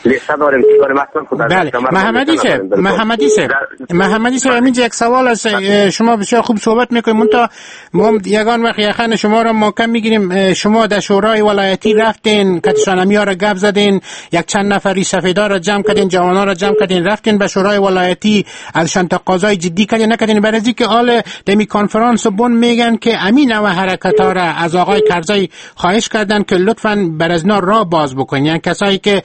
S8: لیسته داریم چیکار مثلا خود
S4: بله. محمدی صاحب محمدی صاحب محمدی صاحب اینجا یک سوال است. شما بسیار خوب صحبت میکنید، منتها ما یگان وقت یخن شما را ما کم میگیریم. شما در شورای ولایتی رفتین، کتشانمی ها را گپ زدین، یک چند نفری سفیدا را جمع کردین، جوانا را جمع کردین، رفتین به شورای ولایتی، ازشان تقاضای جدی کردین نکردین؟ برای اینکه حال دمی کنفرانس بن میگن که امین و حرکت ها را از آقای کرزی خواهش کردن که لطفاً بر از را باز بکنین، یعنی کسایی که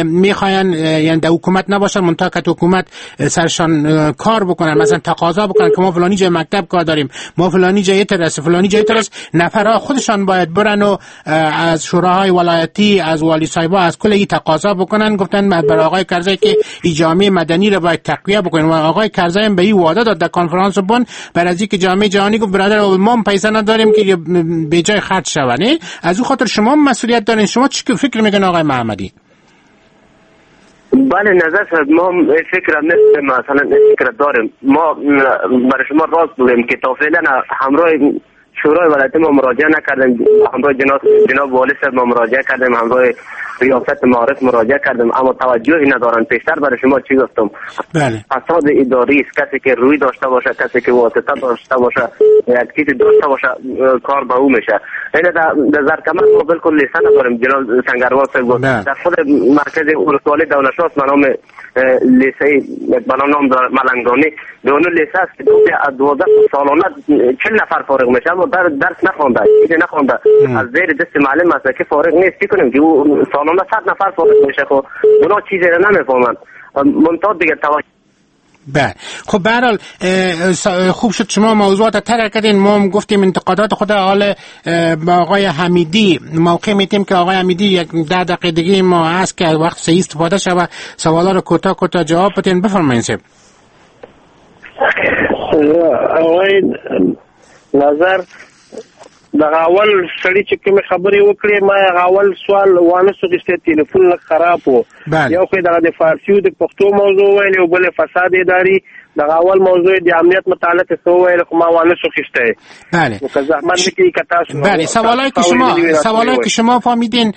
S4: میخواین یعنی در حکومت نباشن منتها که حکومت سرشان کار بکنن، مثلا تقاضا بکنن که ما فلانی جای مکتب کار داریم، ما فلانی جای ترس فلانی جای ترس، نفرها خودشان باید برن و از شوراهای ولایتی، از والی صاحبا، از کل این تقاضا بکنن. گفتن برای آقای کرزی که این جامعه مدنی را باید تقویه بکنن و آقای کرزی هم به این وعده داد در کنفرانس بن، برای از اینکه جامعه جهانی گفت برادر ما پیسه نداریم که به جای خرج شونه، از او خاطر شما مسئولیت دارین. شما چی فکر میکنین آقای محمدی؟
S8: بله نظر شد ما فکر مثلا فکر داریم، ما برای شما راست بگیم که تا فعلا همراه شورای ولایتی ما مراجعه نکردیم، همراه جناب جناب والی صاحب ما مراجعه کردیم، همراه ریاست معارف مراجعه کردیم، اما توجهی ندارن. پیشتر برای شما چی گفتم؟
S4: بله.
S8: فساد اداری است، کسی که روی داشته باشه، کسی که واسطه داشته باشه، یک چیزی داشته باشه، کار به او میشه. این در در زرکمر ما بالکل لیسه نداریم. جناب سنگروال صاحب گفت در خود مرکز ولسوالی دولتشاست به نام لیسه به نام ملنگانی، به اون لیسه است که دوازده سالانه چهل نفر فارغ میشه، اما در درس نخوانده، چیزی نخوانده، از زیر دست معلم است که فارغ نیست. چی کنیم که او سالانه صد نفر فارغ میشه، خب اونا چیزی را نمیفهمند. منتها دیگه توجه
S4: بله. خب به هر حال خوب شد شما موضوعات طرح کردین، ما هم گفتیم انتقادات خود. حال با آقای حمیدی موقع میتیم که آقای حمیدی یک ده دقیقه دیگه ما هست که وقت صحیح استفاده شود، سوالا رو کوتاه کوتاه جواب بدین. بفرمایید صاحب.
S5: آقای نظر دغه اول سړی چې کومې خبرې وکړې، ما هغه اول سوال وانه سو چې تلیفون لږ خراب و. یو خو دغه د فارسي او د پښتو موضوع ویل، او بل فساد اداري. دغه اول موضوع د امنیت متعلق څه ویل، خو ما وانه سو خسته.
S4: بله
S5: که زحمت بکشی که تاسو
S4: بله سوالایی که شما سوالایی که شما فهمیدین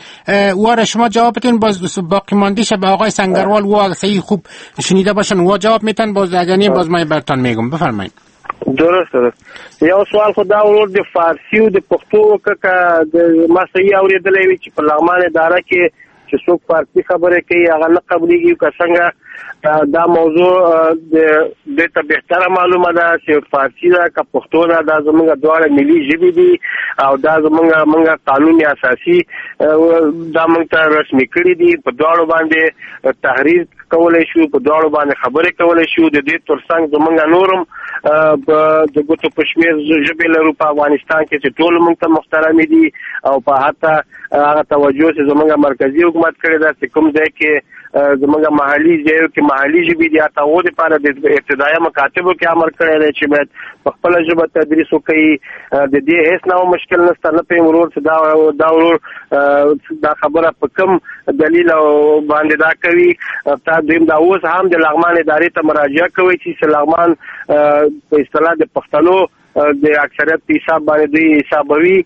S4: واره شما جواب بدین، باز باقی ماندیش به آقای سنگروال و صحیح خوب شنیده باشن و جواب میتن، باز اگر نه باز ما براتون میگم. بفرمایید.
S5: درست درست. یو سوال خو دا ورور د فارسي او د پښتو وکړه، که ما صحیح اورېدلی وي چې په لغمان اداره کې چې څوک فارسي خبرې کوي هغه نه قبلېږي، که څنګه؟ دا موضوع دې ته بهتره معلومه ده چې فارسي ده که پښتو ده، دا زموږ دواړه ملي ژبې دي او دا زموږ موږ قانون اساسي دا موږ ته رسمي کړي دي، په دواړو باندې تحریر کولی شو، په دواړو باندې خبرې کولی شو. د دې ترڅنګ زموږ نورم د ګوتو په شمېر ژبې لرو په افغانستان کې چې ټول موږ ته محترمې دي، او په حتی هغه توجه چې زموږ مرکزي حکومت کړې ده چې کوم ځای کې زموږ محلي ځایو کې محلي ژبې دي، حتی هغو دپاره د ابتدایه مکاتبو کې امر کړی دی چې باید په خپله ژبه تدریس وکړي. د دې هېڅ نوع مشکل نشته. نه پوهېږم ورور چې دا دا ورور دا خبره په کوم دلیل او باندې دا کوي. تا دویم دا اوس هم د لغمان ادارې ته مراجعه کوي چې لغمان په اصطلاح د پښتنو د اکثریت په حساب باندې دوی حسابوي،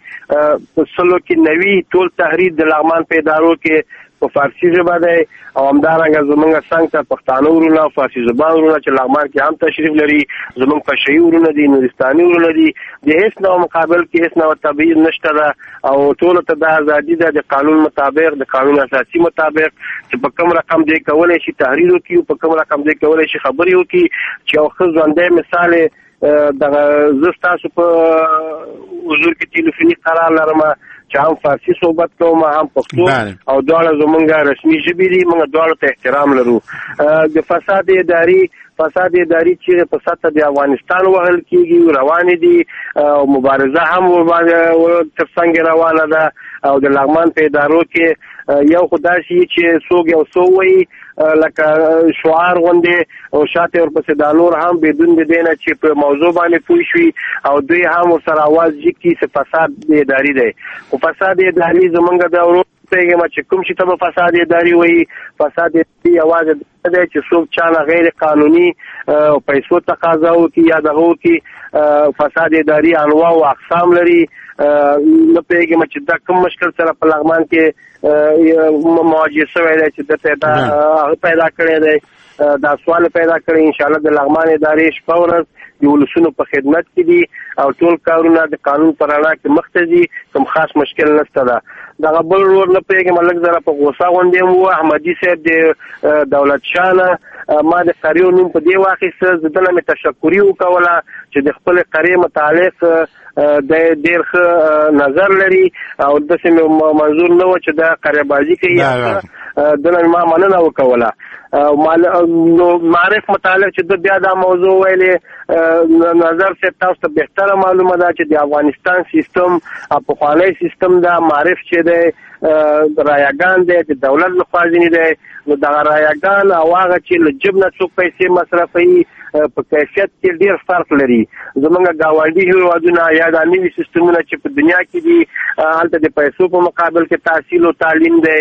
S5: په سلو کې نوي ټول تحریر د لغمان په ادارو کې په فارسي ژبه دی، او همدارنګه زمونږ څنګ ته پښتانه ورونه او فارسي زبان ورونه چې لغمان کې هم تشریف لري، زمونږ پشهيي ورونه دي، نورستاني ورونه دي، د هېڅ نوع مقابل کې هېڅ نوع تبعیض نشته ده، او ټولو ته دا ازادي ده د قانون مطابق، د قانون اساسي مطابق چې په کوم رقم دی کولی شي تحریر وکړي او په کوم رقم دی کولی شي خبرې وکړي. چې یو ښه ژوندی مثال دغه زه ستاسو په حضور کې ټلیفوني قرار لرم چې هم فارسي صحبت کوم هم پښتو، او دواړه زمونږ رسمي ژبې دي، موږ دواړو ته احترام لرو. د فساد اداري فساد اداري چې په سطح د افغانستان وهل کیږي روان دي او مبارزه هم ورباندې ترڅنګ روانه ده. او د لغمان په ادارو کې یو خدای شي چې څوک یو څه وایي لکه شعار غوندې او شاته ورپسې دا نور هم بدون د دې نه چې په موضوع باندې پوه شي او دوی هم ورسره اواز جګ کړي چې فساد اداري دی. خو فساد اداري زمونږ د ورو پوهېږم چې کوم شي ته به فساد اداري وایي. فساد اداري یوازې دا دی چې څوک چا نه غیر قانوني پیسو تقاضا وکړي یا دغه وکړي. فساد اداري انواع او اقسام لري. نه پوهېږم چې دا کوم مشکل سره په لغمان کې مواجه شوی دی چې ده پیدا هغه پیدا کړی دی، دا سوال پیدا کړی. انشاءالله د لغمان ادارې شپه ورځ د ولسونو په خدمت کې دي او ټول کارونه د قانون په رڼا کې مخته ځي، کوم خاص مشکل نشته ده. دغه بل ورور نه پوهېږم لږ ذره په غوسه غوندې هم و، احمدي صاحب د دولت شاه نه ما د قریو نوم په دې واخیسته، زه دنه مې تشکري وکوله چې د خپلې قریې متعلق د ډېر ښه نظر لري او داسې مې منظور نه و چې دا قریه بازي کوي، دنه ما مننه وکوله. نو معارف متعلق چې د بیا دا موضوع ویلې، نظر صاحب تاسو ته بهتره معلومه ده چې د افغانستان سیستم پخوانی سیستم دا معارف چې دی رایاګان دی، د دولت لخوا ځینې دی. نو دغه رایاګان او هغه چې له جیب نه څوک پیسې مصرفوي په کیفیت کې ډېر فرق لري. زمونږ ګاونډي هېوادونه یا دا نوي سیستمونه چې په دنیا کې دي هلته د پیسو په مقابل کې تحصیل او تعلیم دی،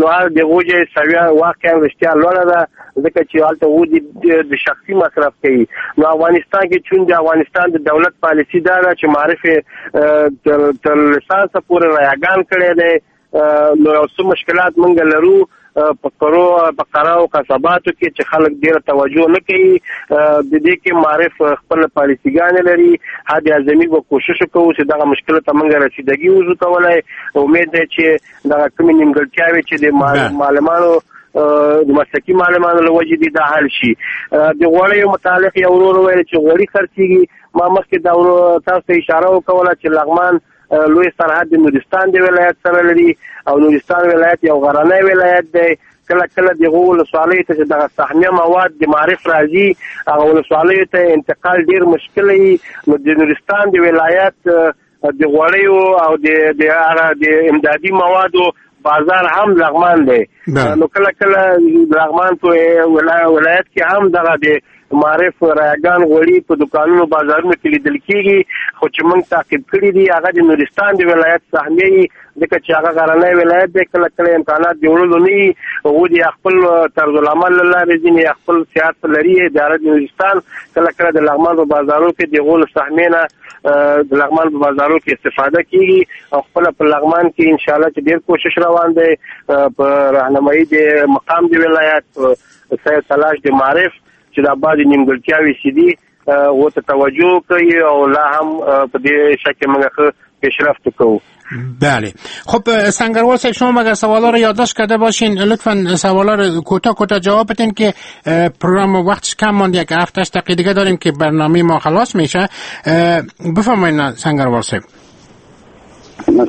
S5: نو هغه د غوجې سویه واقعا رښتیا لوړه ده، ځکه چې هلته هغوی د شخصي مصرف کوي. نو افغانستان کې چون د افغانستان د دولت پالیسي دا ده چې معارف تر لیسانسه پورې رایاګان کړی دی، نو یو څه مشکلات مونږ لرو په قرو په قرا او قصباتو کې چې خلک ډېره توجه نه کوي. د دې کې معارف خپل پالیسیګانې لري، حد اعظمي به کوشش کوو چې دغه مشکل ته موږ رسیدګي وشو کولای. امید دی چې دغه کومې نیمګړتیاوې چې د معلمانو د مسلکي معلمانو له وجې دي دا حل شي. د غوړیو متعلق یو ورور وویل چې غوړي خرڅېږي. ما مخکې دا تاسو ته اشاره وکوله چې لغمان لوی سرحد د نورستان د ولایت سره لري او نورستان ولایت یو غرنی ولایت دی. کله کله دغو ولسوالیو ته چې دغه سهمیه مواد د معارف راځي هغه ولسوالیو ته انتقال ډېر مشکل وي. نو د نورستان د ولایت د غوړیو او د هغه د امدادي موادو بازار هم لغمان دی. نو کله کله لغمان په ولایت کې هم دغه د معارف رایاګان غوړي په دوکانونو بازارونو کې لیدل کېږي، خو چې موږ تعقیب کړي دي هغه د نورستان د ولایت سهمیه وي، ځکه چې هغه غرنی ولایت دی، کله کله امکانات د وړلو نه وي. هغوی د خپل طرزالعمل له لارې ځینې خپل سیاست لري. اداره د نورستان کله کله د لغمان په بازارو کې د هغو له سهمیې نه د لغمان په بازارو کې استفاده کیږي او خپله په لغمان کې انشاءالله چې ډېر کوشش روان دی په رهنمایي د مقام د ولایت سید تلاش د معارف چې دا بعضې نیمګړتیاوې چې دي هغو ته توجه کوي او لا هم په دې شک کې موږ ښه پیشرفت کوو.
S4: بله خب سنگروال صاحب، شما مگر سوالا رو یادداشت کرده باشین، لطفا سوالا رو کوتاه کوتاه جواب بدین که پروگرام وقتش کم مانده، یک هفت هشت دقیقه دیگه داریم که برنامه ما خلاص میشه. بفرمایید سنگروال صاحب.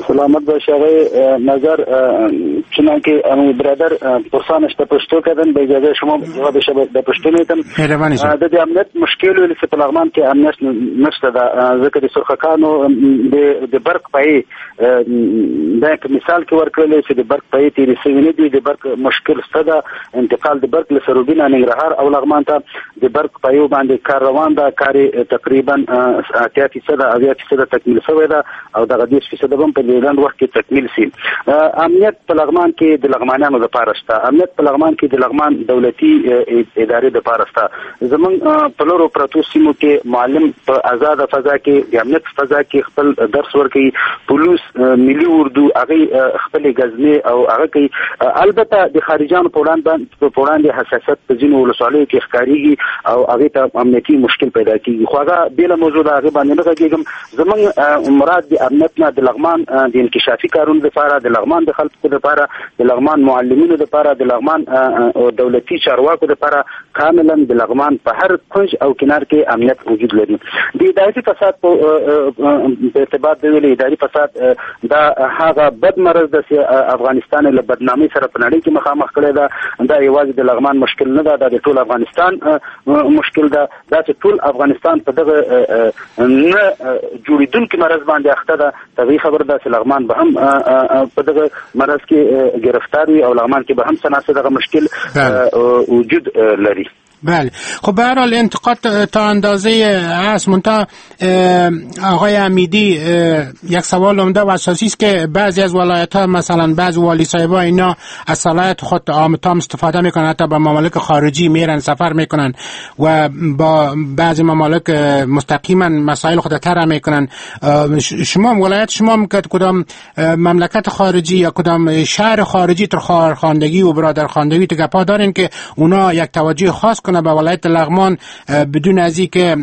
S6: سلامت باشی آقای نظر. چنانکه امو برادر پرسانش د پښتو کردن، به اجازه شما جوابش د پښتو میتم. د دې امنیت مشکل ول چې په لغمان کې امنیت نشته ده، ځکه د سرخکانو د برق پای د مثال کې ورکړل چې د برق پای تیرې شوې نه دي، د برق مشکل شته ده. انتقال د برق له سروبینه ننګرهار او لغمان ته د برق پایو باندې کار روان ده، کار تقریبا اتیا فیصده اویا فیصده تکمیل شوی ده او دغه دېرش فیصده به هم په دې لنډ وخت کې تکمیل شي. امنیت په لغمان کې د لغمانیانو لپاره شته، امنیت په لغمان کې د لغمان دولتي ادارې لپاره شته. زمونږ په لرو پرتو سیمو کې معلم په آزاده فضا کې د امنیت فضا کې خپل درس ورکوي، پولیس ملي اردو هغه خپلې ګزمې او هغه کوي. البته د خارجانو په وړاندې حساسیت په ځینو ولسوالیو کې ښکارېږي او هغې ته امنیتي مشکل پیدا کېږي، خو هغه بېله موضوع ده، هغې باندې نه غږېږم. زمونږ مراد د امنیت نه د لغمان لغمان د انکشافي کارونو لپاره، د لغمان د خلکو لپاره، د لغمان معلمینو لپاره، د لغمان دولتي چارواکو لپاره کاملا د لغمان په هر کنج او کنار کې امنیت وجود لري. د اداري فساد په ارتباط د ویلي اداري فساد دا هغه بد مرض د افغانستان له بدنامۍ سره په نړۍ کې مخامخ کړی ده. دا یوازې د لغمان مشکل نه ده، دا د ټول افغانستان مشکل ده. دا چې ټول افغانستان په دغه نه جوړېدونکي مرض باندې اخته ده، طبیعي خبره ده چې لغمان به هم په دغه مرض کې گرفتار وي او لغمان کې به هم څه ناڅه دغه مشکل وجود لري.
S4: بله، خب به هر حال انتقاد تا اندازه هست. منتها آقای امیدی یک سوال عمده و اساسی است که بعضی از ولایت ها مثلا بعضی والی صاحبا اینا از صلاحیت خود عام تام استفاده میکنن، حتی به ممالک خارجی میرن سفر میکنن و با بعضی ممالک مستقیما مسائل خود طرح میکنن. شما ولایت شما که کدام مملکت خارجی یا کدام شهر خارجی تر خواهرخواندگی و برادرخواندگی تو گپا دارین که اونا یک توجه خاص کنه به ولایت لغمان بدون از اینکه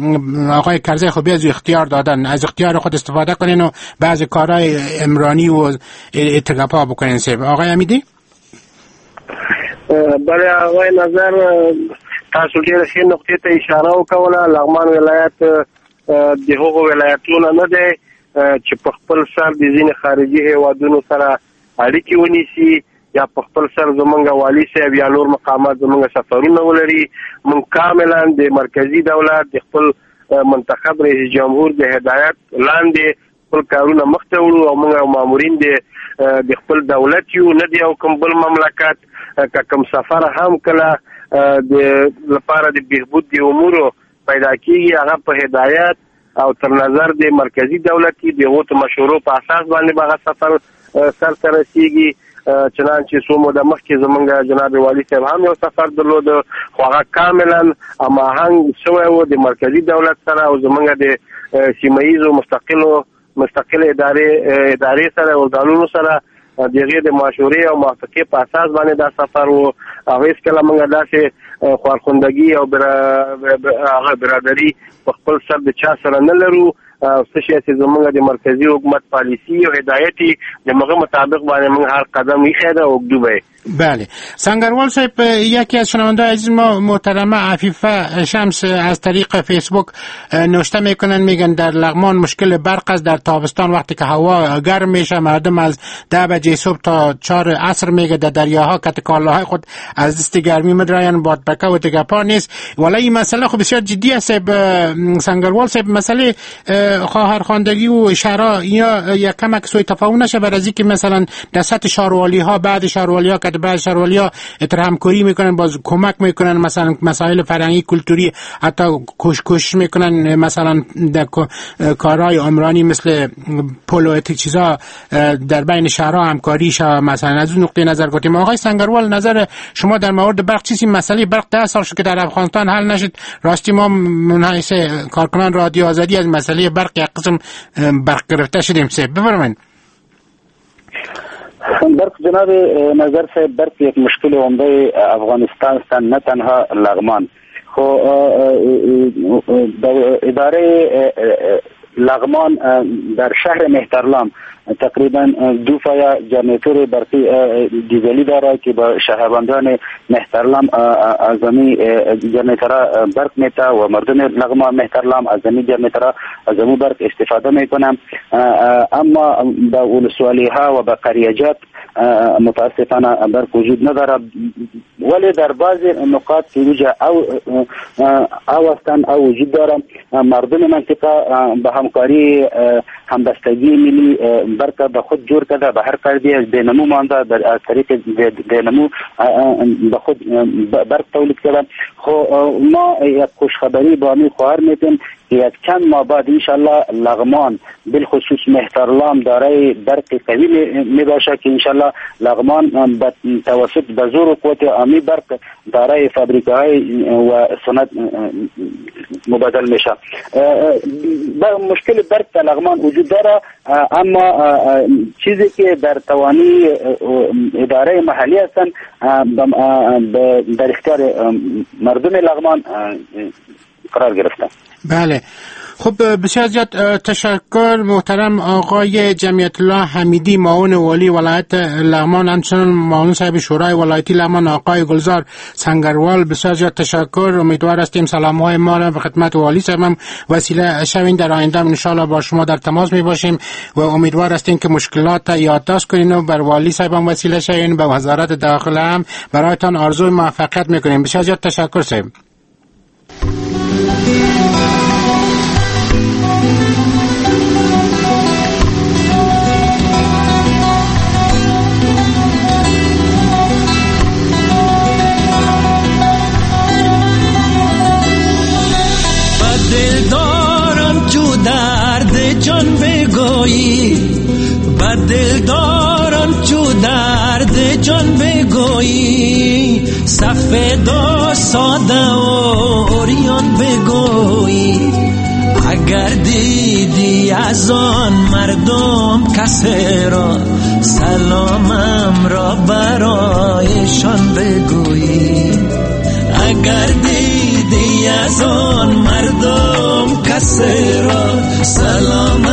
S4: آقای کرزی خب از اختیار دادن، از اختیار خود استفاده کنین و بعضی کارهای عمرانی و اتگپا بکنین؟ سیب آقای امیدی.
S5: بله آقای نظر، تاسو ډېر ښې نقطې ته اشاره وکوله. لغمان ولایت د هغو ولایتونو نه دی چې په خپل سر د ځینې خارجي هیوادونو سره اړیکې ونیسي یا په خپل سر زمونږ والي صاحب یا نور مقامات زمونږ سفرونه ولري. مونږ کاملا د مرکزي دولت د خپل منتخب رئیس جمهور د هدایت لاندې خپل کارونه مخته وړو او مونږ مامورین د د خپل دولت یو، نه د یو کوم بل مملکت. که کوم سفر هم کله د لپاره د بهبود د امورو پیدا کیږي هغه په هدایت او تر نظر د مرکزي دولت د هغو مشورو په اساس باندې به هغه سفر سر ته رسیږي. چنانچه څو موده مخکې زمونږ جناب والي صاحب هم یو سفر درلود، خو هغه کاملا هماهنګ شوی و د مرکزي دولت سره او زمونږ د سیمه ییزو مستقلو مستقل ادارې ادارې سره او ارګانونو سره د هغې د مشورې او موافقې په اساس باندې دا سفر و. او هېڅکله موږ داسې خوارخوندګي او هغه برادري په خپل سر د چا سره نه لرو. څه شی چې زمونږ د مرکزي حکومت پالیسی او هدایت د هغه مطابق باندې موږ هر قدم ایښی ده او ږدو به.
S4: بله سنگروال صاحب، یکی از شنونده عزیز ما محترمه عفیفه شمس از طریق فیسبوک نوشته میکنن، میگن در لغمان مشکل برق است. در تابستان وقتی که هوا گرم میشه مردم از ده بجه صبح تا چهار عصر میگه در دریاها کت کالاهای خود از دست گرمی مدراین، بادپکه و تگپا نیست. ولی این مسئله خب بسیار جدی است سنگروال صاحب. مسئله خواهرخواندگی و شهرها یا یک کمک سوء تفاهم نشه بر از اینکه مثلا در سطح شاروالی ها بعد شاروالی ها که بعد شاروالی ها همکاری میکنن، باز کمک میکنن، مثلا مسائل فرهنگی کلتوری حتی کوش کوشش میکنن، مثلا در کارهای عمرانی مثل پل و چیزا در بین شهرها همکاری شه. مثلا از اون نقطه نظر گفتیم. آقای سنگروال نظر شما در مورد برق چیزی؟ مسئله برق ده سال شد که در افغانستان حل نشد. راستی ما منحیث کارکنان رادیو آزادی از مسئله برق یک قسم برق گرفته شدیم. سه بفرمایید.
S6: برق جناب نظر صاحب، برق یک مشکل عمده افغانستان است، نه تنها لغمان. خو اداره لغمان در شهر مهترلام تقریبا دو فایا جنراتور برقی دیزلی داره که با شهروندان مهترلام از امی جنراتور برق میته و مردم لغمان مهترلام از امی جنراتور از امو برق استفاده میکنن. اما با ولسوالی ها و با قریجات متاسفانه برق وجود نداره، ولی در بعضی نقاط که وجود او او هستن او وجود داره، مردم منطقه به همکاری همبستگی ملی برق به خود جور کرده، به هر فردی از دینامو مانده، از طریق دینامو به خود برق تولید کرده. خو ما یک خوشخبری با می خواهر میتیم که یک چند ماه بعد انشالله لغمان بالخصوص مهترلام دارای برق قوی می باشه که انشالله لغمان به توسط به زور و قوت آمی برق دارای فابریکه های و صنعت مبادل میشه. مشکل برق در لغمان وجود داره، اما چیزی که در توانی اداره محلی هستن در اختیار مردم لغمان قرار گرفته.
S4: بله، خب بسیار زیاد تشکر محترم آقای جمعیت الله حمیدی، معاون والی ولایت لغمان، همچنین معاون صاحب شورای ولایتی لغمان آقای گلزار سنگروال. بسیار زیاد تشکر. امیدوار هستیم سلام های ما را به خدمت والی صاحب هم وسیله شوین. در آینده ان شاء الله با شما در تماس می باشیم و امیدوار هستیم که مشکلات یادداشت کنین و بر والی صاحب هم وسیله شوین، به وزارت داخله هم برایتان آرزوی موفقیت میکنیم. بسیار زیاد تشکر صاحب.
S10: جان بگویی بدل دارم چو درد جان بگویی، سفید و ساده و عریان بگویی. اگر دیدی از آن مردم کسی را، سلامم را برایشان بگویی. اگر دیدی از آن مردم کسی را، سلامم